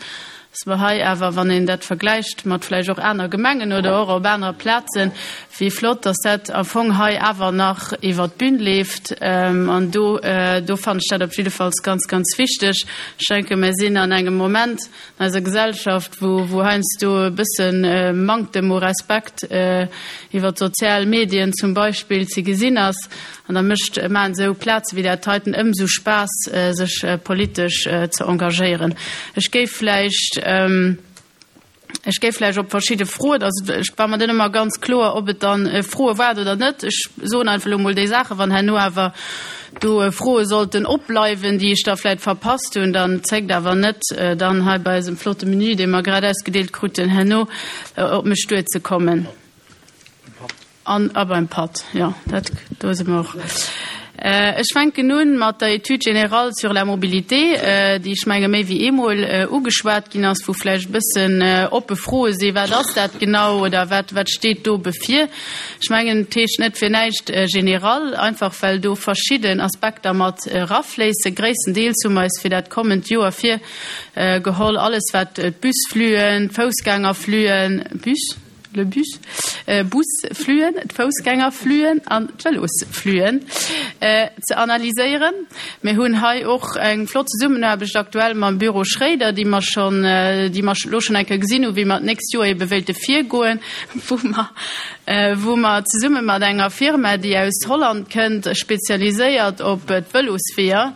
Dass mer hei awer, wann een dat vergläicht mat vläicht och aner Gemengen oder och op anere Plazen, wéi flott, dass dat am Fong hei awer nach iwwert d'Bün leeft. An do, do fannen ech dat op jiddefalls ganz, ganz wichteg. Ech denken, mir sinn an engem Moment an eiser Gesellschaft, wou, wou heiansdo e bësse Manktem u Respekt iwwert d'sozial Medien zum Beispill ze gesinn ass. An da mécht, maachen esou Plaze wéi dat heiten ëmsou Spaass, sech politesch ze engagéieren. Ech géif vläicht, ech géif vläicht op verschidde Froen, also ech war mer net ëmmer ganz kloer, ob et dann Froe waren oder net. Ech soen einfach elo mol déi Saachen, wann herno awer do Froe sollten opbleiwen, déi ech da vläicht verpasst hunn, dann zéckt awer net, dann hei bei eisem flotte Menü, dee mer grad ausgedeelt kruten, herno op mech duerzekommen. An a beim Patt, jo, dat, do si mer och. Ech fänken un mat der Étude générale sur la mobilité, déi, ech menge méi wéi eemol ugeschwat ginn ass, wou vläicht e bëssen oppe Froe sinn, Wat ass dat genau oder wat, wat steet do bevir? Ech mengen, et heescht net fir näischt général, einfach well do verschidden Aspekter mat erafléissen. Gréisstendeels hu mer eis fir dat kommend Joer virgeholl, alles wat d'Busflüen, d'Foussgängerflüen, Bus? Le bus, Busflüen, d'Foussgängerflüen an d'Vëlosflüen ze analyséieren. Mir hunn hei och eng flott Zesummenaarbecht aktuell mam Büro Schréider, déi mer schonn, déi mer elo schonn eng Kéier gesinn hunn, wéi mer d'nächst Joer ebe wéilte virgoen, wou mer, wou mer zesumme mat enger Firma, déi aus Holland kënnt, spezialiséiert op d'Vëlosweeër,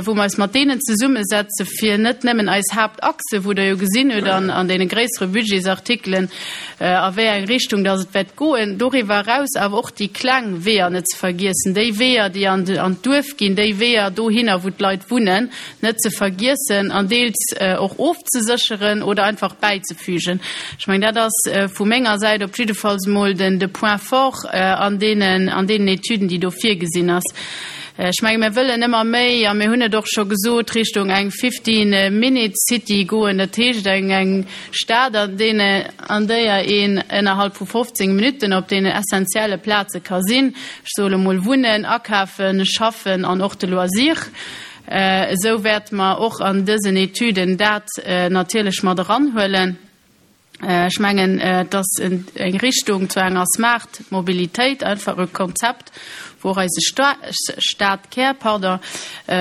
wou mer eis mat deenen zesummesetze fir net nëmmen eis Haaptachse, wou Der jo gesinn hutt an an deene gréissere Budgetsartikelen, a wéi eng Richtung dass et wäert goen, doriwwer eraus awer och déi kleng Weeër net ze vergiessen, déi Weeër, déi an an d'Duerf ginn, déi Weeër dohinner, wou d'Leit wunnen, net ze vergiessen an deels och ofzesécheren oder einfach bäizefügen. Ech mengen, dat ass vu menger Säit op jiddefalls emol den de Point fort an deenen an deenen Etüden, déi do virgesinn ass. Ech menge mir wëllen ëmmer méi, a mir hunn et och scho gesot, Richtung eng 15 Minute City goen, dat heescht eng eng Stad, an deene an déier een ënnerhalb vu 15 Minutten op deenen essentielle Plaze ka sinn, ech soe lo mol wunnen, akafen, schaffen an och de Loisir. Esou wäerte mer och an dësen Etüden dat natierlech mat eranhuelen. Ech mengen, et ass eng Richtung zu enger smart Mobilitéit, einfach e Konzept, wou och eise Stadkär, pardon,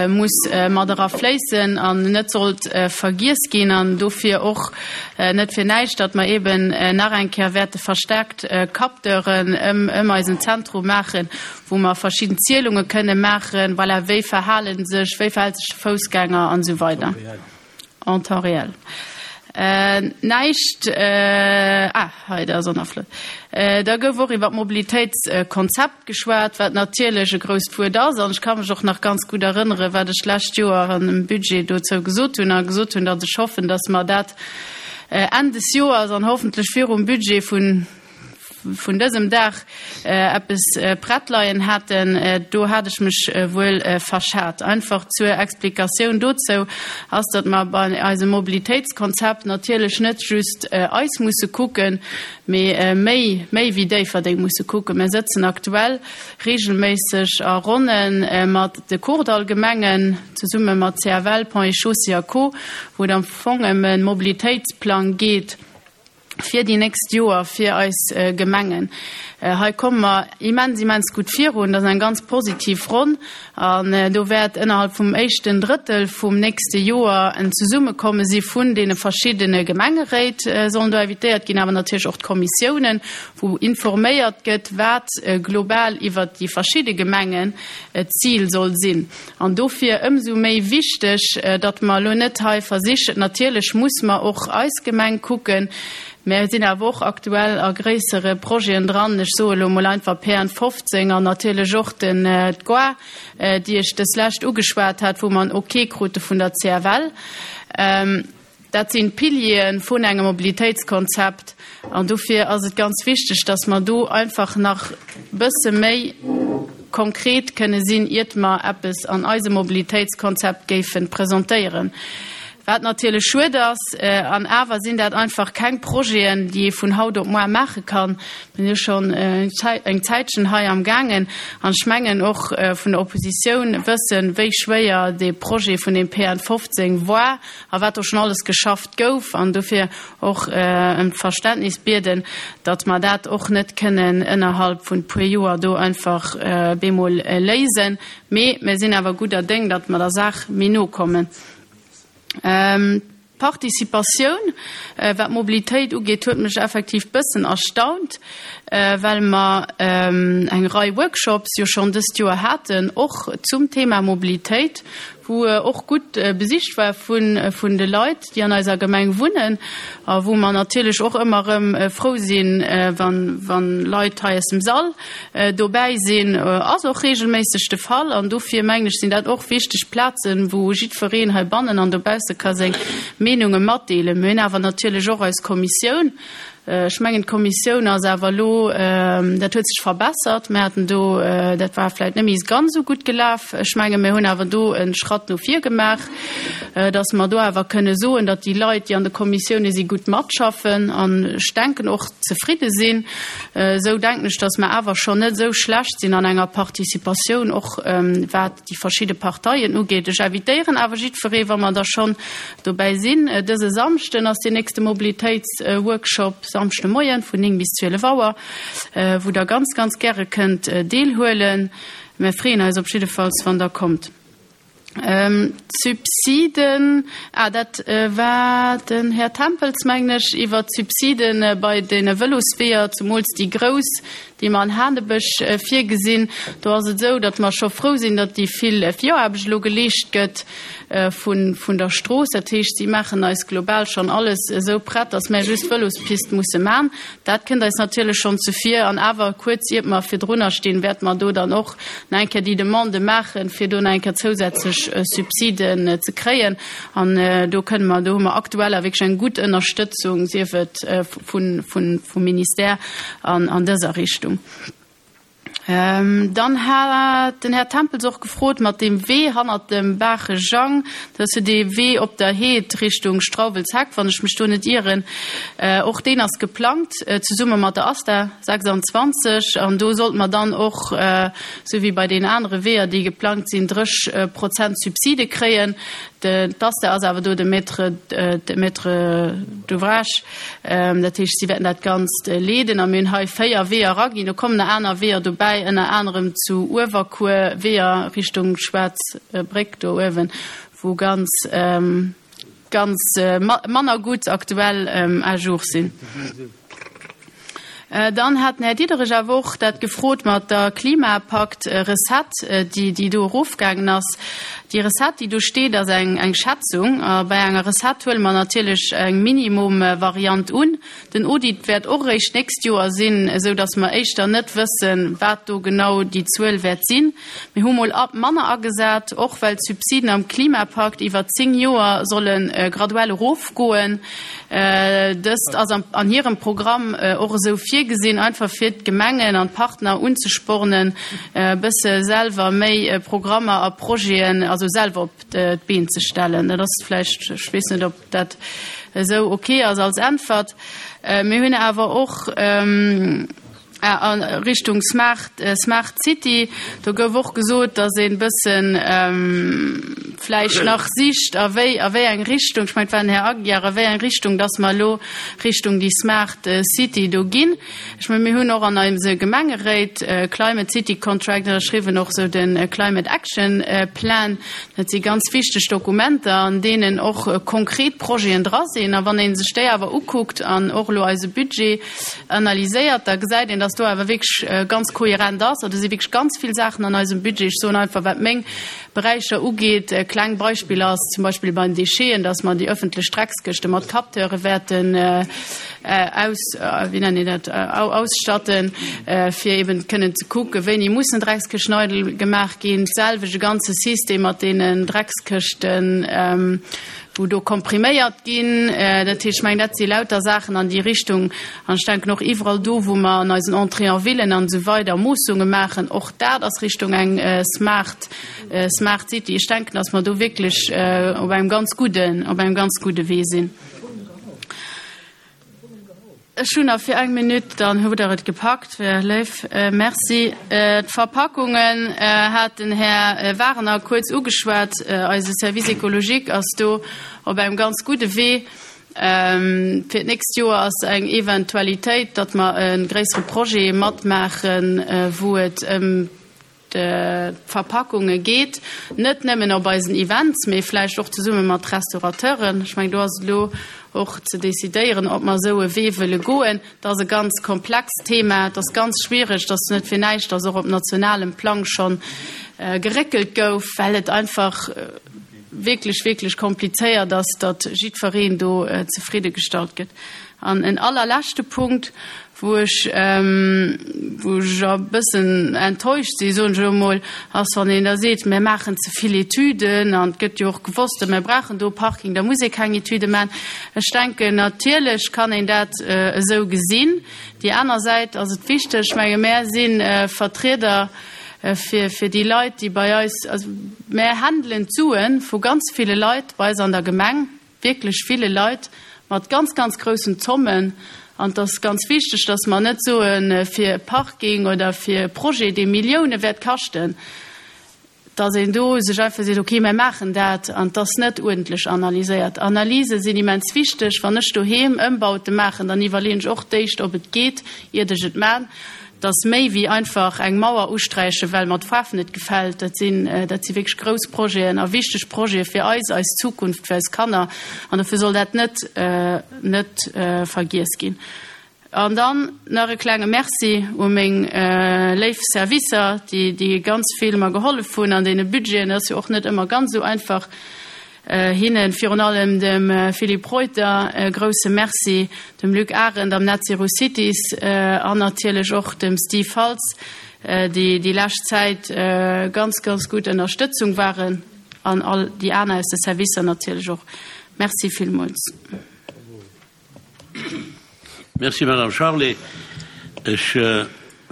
muss mat era fléissen an net sollt vergiess ginn. An dofir och net fir näischt, datt mer eeben nach eng Kéier wäerte verstärkt Capteuren ëm eisen Zentrum maachen, wou mer verschidden Zielunge kënne maachen, voilà, wéi verhale sech, wéi verhält sech de Foussgänger an esou weider. En temps réel. Näischt, ah, hei, dat ass och nach flott. Da gouf och iwwer d'Mobilitéitskonzept geschwat, wat natierlech e grousst Wuert ass. An ech ka mech och nach ganz gutt erënneren, wat ech d'lescht Joer an dem Budget dozou gesot hunn, a gesot hunn, datt ech hoffen, datt mer dat Enn des Joers an hoffentlech virum Budget vun, vun dësem Dag eppes prett leien haten, do hat ech mech wuel verschat. Einfach zur Explikatioun dozou ass, datt mer bei eisem Mobilitéitskonzept natierlech net just eis musse kucken, mee méi, méi wéi Déifferdeng musse kucken. Mir sëtzen aktuell regelméisseg a Ronne mat de Kordallgemengen, zesumme mat CFL, Ponts et Chaussées a Co, wou et am Fong ëm e Mobilitéitsplang geet, fir déi nächst Joer fir eis Gemengen. Hei komme mer immens, immens gutt virun. Dat ass eng ganz positiv Ronn. An do wäert ënnerhalb vum éischten Drëttel vum nächste Joer en Zesummekomme si vun deene verschiddene Gemengeréit, sollen do invitéiert ginn, awer natierlech och d'Kommissiounen, wou informéiert gëtt, wat global iwwert déi verschidde Gemengen d'Zil soll sinn. An dofir ëmsou méi wichteg, datt mer elo net hei versichen, natierlech muss mer och eis Gemeng kucken, mä sinn awer och aktuell a gréissere Projeten dran, ech soe elo emol einfach PN 15 an natierlech och den d'Gare, déi ech dës lescht ugeschwat hat, wou mer en Ok krute vun der CFL. Dat sinn d'Piliere vun engem Mobilitéitskonzept an dofir ass et ganz wichteg, dass mer do einfach nach bësse méi konkret kënne sinn, iert mer eppes an eisem Mobilitéitskonzept géife presentéieren. Wat natierlech schued ass. An awer sinn dat einfach keng Projeten, déi ee vun haut op moar maache kann. Mir sinn jo schonn eng Zäitchen hei am gaangen an ech mengen och vun der Oppositioun wëssen, wéi schwéier dee Projet vun deem PN 15 war a wat do schonn alles geschafft gouf. An dofir och ëm d'Verständnis bieden, datt mer dat och net kënnen ënnerhalb vun puer Joer do einfach bemol léisen. Mee mir sinn awer gudder Déng, datt mer der Saach méi no kommen. D'Participatioun, wat d'Mobilitéit ugeet, huet mech effektiv bëssen erstaunt, well mer eng Rei Workshops jo schonn dëst Joer haten, och zum Thema Mobilitéit, wou och gutt besicht war vun de Leit, déi an eiser Gemeng wunnen a wou mer natierlech och ëmmer erëm frou sinn, wann Leit hei aus dem Sall Dobäi sinn ass och regelméisseg de Fall an dofir mengen ech sinn dat och wichteg Plazen, wou jiddwereen heibannen an dobausse ka seng Meenunge matdeelen. Mir hunn awer natierlech och eis Kommissioun. Ech mengen d'Kommissioun ass awer elo, dat huet sech verbessert. Mir haten do, dat war vläicht net méi ganz esou gutt gelaf. Ech menge mir hunn awer do e Schratt no vir gemaach, datt mer do awer kënne soen, datt déi Leit, déi an de Kommissioune si gutt matschaffen an ech denken och zefridde sinn. Esou denken ech, datt mer awer schonn net esou schlecht sinn an enger Participatioun, och wat déi verschidde Parteien ugeet. Ech invitéieren awer jiddweree, wa mer da schonn dobäi sinn, dëse Samschden ass deen nächste Mobilitéitsworkshop, Samschde Moien vun 9 bis 12 Auer, wou Der ganz, ganz gäre kënnt deelhuelen. Mir freeën eis op jiddefalls, wann Der kommt. D'Subsiden, ah, dat war den Här Tempels, mengen ech, iwwert d'Subside bei de Vëlosweeër, zemools déi grouss, déi mer an Hanebech virgesinn. Do ass et esou, datt mer scho frou sinn, datt déi vill Viraarbecht elo geleescht gëtt vun der Strooss. Dat heescht, si maachen eis global schonn alles esou prett, datt mär just d'Vëlospist musse man. Dat kënnt eis natierlech schonn zuvir. An awer, kuerz iert mer virdrunner stinn, wäerte mer do dann och nach eng Kéier déi Demande maachen, fir do nach eng Kéier zousätzlech Subsiden ze kréien. An do kënne mer, do hu mer aktuell awer wierklech eng gutt Ënnerstëtzung, sief et vum Ministère an dëser Richtung. Dann hat den Här Tempels och gefrot mat deem Wee hannert dem Baache Jang, dat ass jo dee Wee op der Heed Richtung Strauwelsheck, wann ech mech do net ieren. Och deen ass geplangt zesumme mat der ASTA 26 an do sollte mer dann och, esou wéi bei deenen anere Weeër, déi geplangt sinn, 30 Prozent Subside kréien. D'ASTA ass awer do de Maître, de Maître d'ouvrage. Dat heescht, si wäerten dat Ganzt leeden. A mir hunn hei 4 Weeër eraginn. Do kommen nach aner Weeër dobäi, ënner anerem zu Uewerkuer, Weeër Richtung Schwaarz Bréck do uewen, wou ganz, ganz manner gutt aktuell à jour sinn. Dann hat den Här Diderich awer och dat gefrot mat der Klimapakt-Recette, déi, déi do erofgaangen ass. Déi Recette, déi do steet, ass eng, eng Schätzung. A bei enger Recette huele mer natierlech eng Minimum-Variant un. Den Audit wäert och eréischt d'nächst Joer sinn, esou datt mer éischter net wëssen, wat do genau déi Zuel wäert sinn. Mir hu mol manner agesat, och well d'Subsiden am Klimapakt iwwer 10 Joer solle graduell erofgoen. Dëst ass an hirem Programm och esou virgesinn, einfach fir d'Gemengen an d'Partner unzespornen, e bësse selwer méi Programmer a Projeten, also selwer op d'Been ze stellen. Dat ass vläicht, ech weess net, ob dat esou ok ass als Äntwert. Mir hunn awer och. A Richtung Smart, Smart City, do gouf och gesot, datt een bëssen vläicht nach sicht, a wéi, a wéi eng Richtung, ech mengen, et war den Här Aguiar, a wéi eng Richtung datt mer elo Richtung déi Smart City do ginn. Ech mengen, mir hunn och an eise Gemengeréit Climate City Contract ënnerschriwwen, och esou de Climate Action Plan. Dat si ganz wichteg Dokumenter, an deenen och konkret Projeten dra sinn. A wann ee sech déi awer ukuckt an och elo eise Budget, analyséiert, da gesäit een, dass do awer wierklech ganz kohärent ass. Do si wierklech ganz vill Saachen an eisem Budget. Ech soen einfach, wat meng Beräicher ugeet, kleng Beispiller ass zum Beispill bei den Décheten, dass mer déi öffentlech Dreckskëschte mat Capteure wäerten aus, wéi nennt een dat, ausstatten, fir eben kënnen ze kucken, wéini mussen Dreckskëschten eidel gemaach ginn. D'selwecht e ganze System mat deenen Dreckskëschten. Wou do kompriméiert ginn. Dat heescht, ech mengen, dat si lauter Saachen an déi Richtung. An ech denken och iwwerall do, wou mer an eisen Entrées en villen an esou weider Moossunge maachen, och dat ass Richtung eng smart, smart City. Ech denken, dass mer do wierklech op engem ganz gudden, op engem ganz gudde Wee sinn. Ech hunn nach fir eng Minutt, dann hutt Der et gepackt, wär léif. Merci. D'Verpackungen hat den Här Wagener kuerz ugeschwat. Eise Service écologique ass do op engem ganz gudde Wee. Fir d'nächst Joer ass eng Eventualitéit, datt mer e gréissere Projet matmaachen, wou et ëm d'Verpackunge geet, net nëmmen op eisen Events, mee vläicht och zesumme mat Restaurateuren. Ech mengen, do ass et elo och ze decidéieren, ob mer esou e Wee wëlle goen. Dat ass e ganz komplext Thema, et ass ganz schwierig, et ass net fir näischt, dass och op nationalem Plang scho geréckelt gouf, well et einfach wierklech, wierklech komplizéiert ass, datt jiddwereen do zefriddegestallt gëtt. An en allerleschte Punkt, Wou ech, wou ech e bëssen enttäuscht sinn, soen ech elo emol, ass, wann een da seet, mir maachen ze vill Etüden an et gëtt jo och gewosst, mir brauchen do e Parking, da muss ee keng Etüde maachen. Ech denken, natierlech kann een dat esou gesinn. Déi aner Säit ass et wichteg, ech menge mär si Vertrieder fir, fir déi Leit, déi bei eis, also mär händelen d'Sue vu ganz ville Leit bei eis an der Gemeng, wierklech ville Leit mat ganz, ganz groussen Zommen. An et ass ganz wichteg, dass mer net soen, fir e Parking oder fir e Projet, dee Millioune wäert kaschten, dass een do sech einfach seet, okay, mir maachen dat, an et ass net uerdentlech analyséiert. Analyse sinn immens wichteg. Wann ech doheem Ëmbaute maachen, dann iwwerleeën ech och d'éischt, ob et geet, iert ech et maachen. Et ass méi wéi einfach eng Mauer usträichen, well mer d'Faarf net gefält. Dat sinn, dat si wierklech grouss Projeten a wichteg Projete fir eis, eis Zukunft, fir eis Kanner. An dofir soll dat net, net vergiess ginn. An dann nach e klenge Merci u meng léif Servicer, déi, déi ganz vill mer gehollef hunn an deene Budgeten. Et ass jo och net ëmmer ganz esou einfach. Hinnen, virun allem dem Philippe Reuter, e grousse Merci, dem Luc Arendt am Net Zero Cities an natierlech och dem Steve Faltz, déi déi lescht Zäit ganz, ganz gutt Ënnerstëtzung waren, an all déi aner aus de Servicer natierlech och. Merci villmools. Merci, Madame Charlé. Ech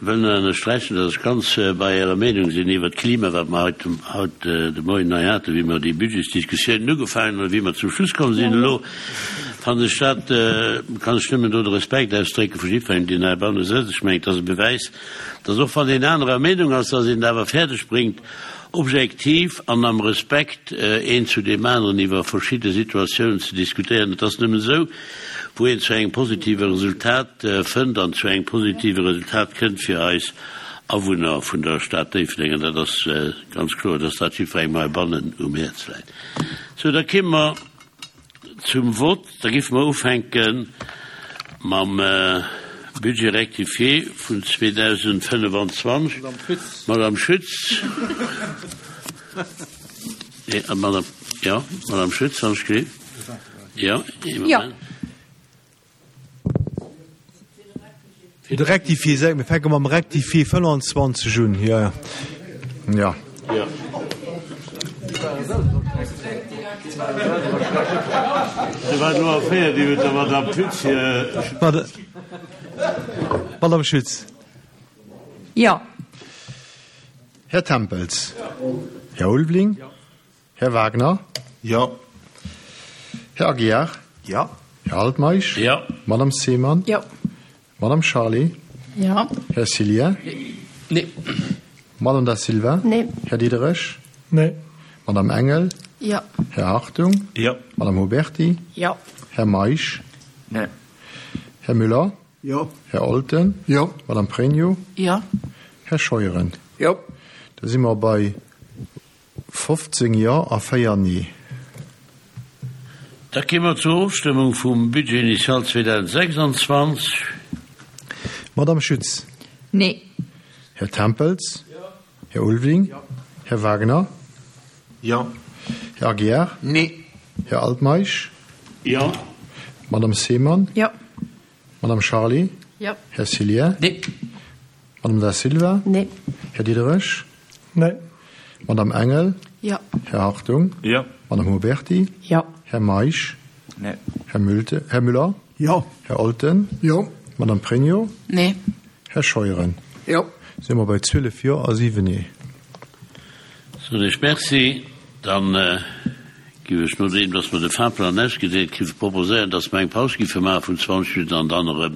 wëll nach ënnersträichen, dass ech ganz bei Ärer Meenung sinn iwwert d'Klima, wat mer haut, haut de Moien hei haten, wéi mer déi Budgetsdiskussiounen ugefaangen hunn a wéi mer zum Schluss komm sinn. Elo fannen ech dat, kann ech nëmmen do de Respekt ausdrécke vu jiddwerengem, deen heibanne sëtzt. Ech mengen, et ass e Bewäis, dass och wann een anerer Meenung ass, dass een et awer fäerdeg bréngt, objektiv an am Respekt een zu deem aneren iwwer verschidde Situatiounen ze diskutéieren. Et ass nëmmen esou, wou een zu engem positive Resultat fënnt an zu engem positive Resultat kënnt fir eis Awunner vun der Stad Déifferdeng. An dat ass ganz kloer, dass dat jiddwerengem heibannen um Häerz läit. Sou, da kéime mer Zum Vott. Da géife mer ufänke mam Budget rectifié vun 2025. Madame Schütz. Madame, jo, Madame Schütz, wann ech gelift. Jo, ee Moment. Fir de Rectifié, sag, mir fänke mam Rectifié 25 un, jo, jo. Jo. Se war elo erféiert iwwer der Madame Schütz hir. Madame Schütz. Jo. Här Tempels. Här Ulveling. Här Wagner? Jo. Här Aguiar? Jo. Här Altmeisch? Jo. Madame Seemann? Jo. Madame Charlé? Jo. Här Cillien? Nee. Madame Da Silva? Nee. Här Diderich? Nee. Madame Engel? Jo. Här Hartung? Jo. Madame Huberty? Jo. Här Meisch? Nee. Här Müller? Jo. Här Olten? Jo. Madame Pregno? Jo. Här Scheuren? Jo. Da si mer bei 15 Jo a 4 Nee. Da gi mer zur Ofstëmmung vum Budget initial 2026. Madame Schütz. Nee. Här Tempels. Här Ulveling. Här Wagner. Jo. Här Aguiar. Nee. Här Altmeisch. Jo. Madame Seemann. Jo. Madame Charlé. Jo. Här Cillien. Nee. Madame Da Silva. Nee. Här Diderich. Nee. Madame Engel. Jo. Här Hartung. Jo. Madame Huberty? Jo. Här Meisch? Nee. Här Mülte, Här Müller? Jo. Här Olten? Jo. Madame Pregno? Nee. Här Scheuren? Jo. Si mer bei 12 Jo a 7 Nee. Soen ech Merci. Dann giff ech, nodeem dass mer de Fahrplan ausgedeelt kritt, proposéieren, dass mer eng Paus giffe maache vun 20 Minutten an dann erëm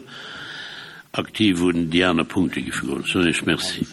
aktiv un déi aner Punkte giffe goen. Soen ech Merci.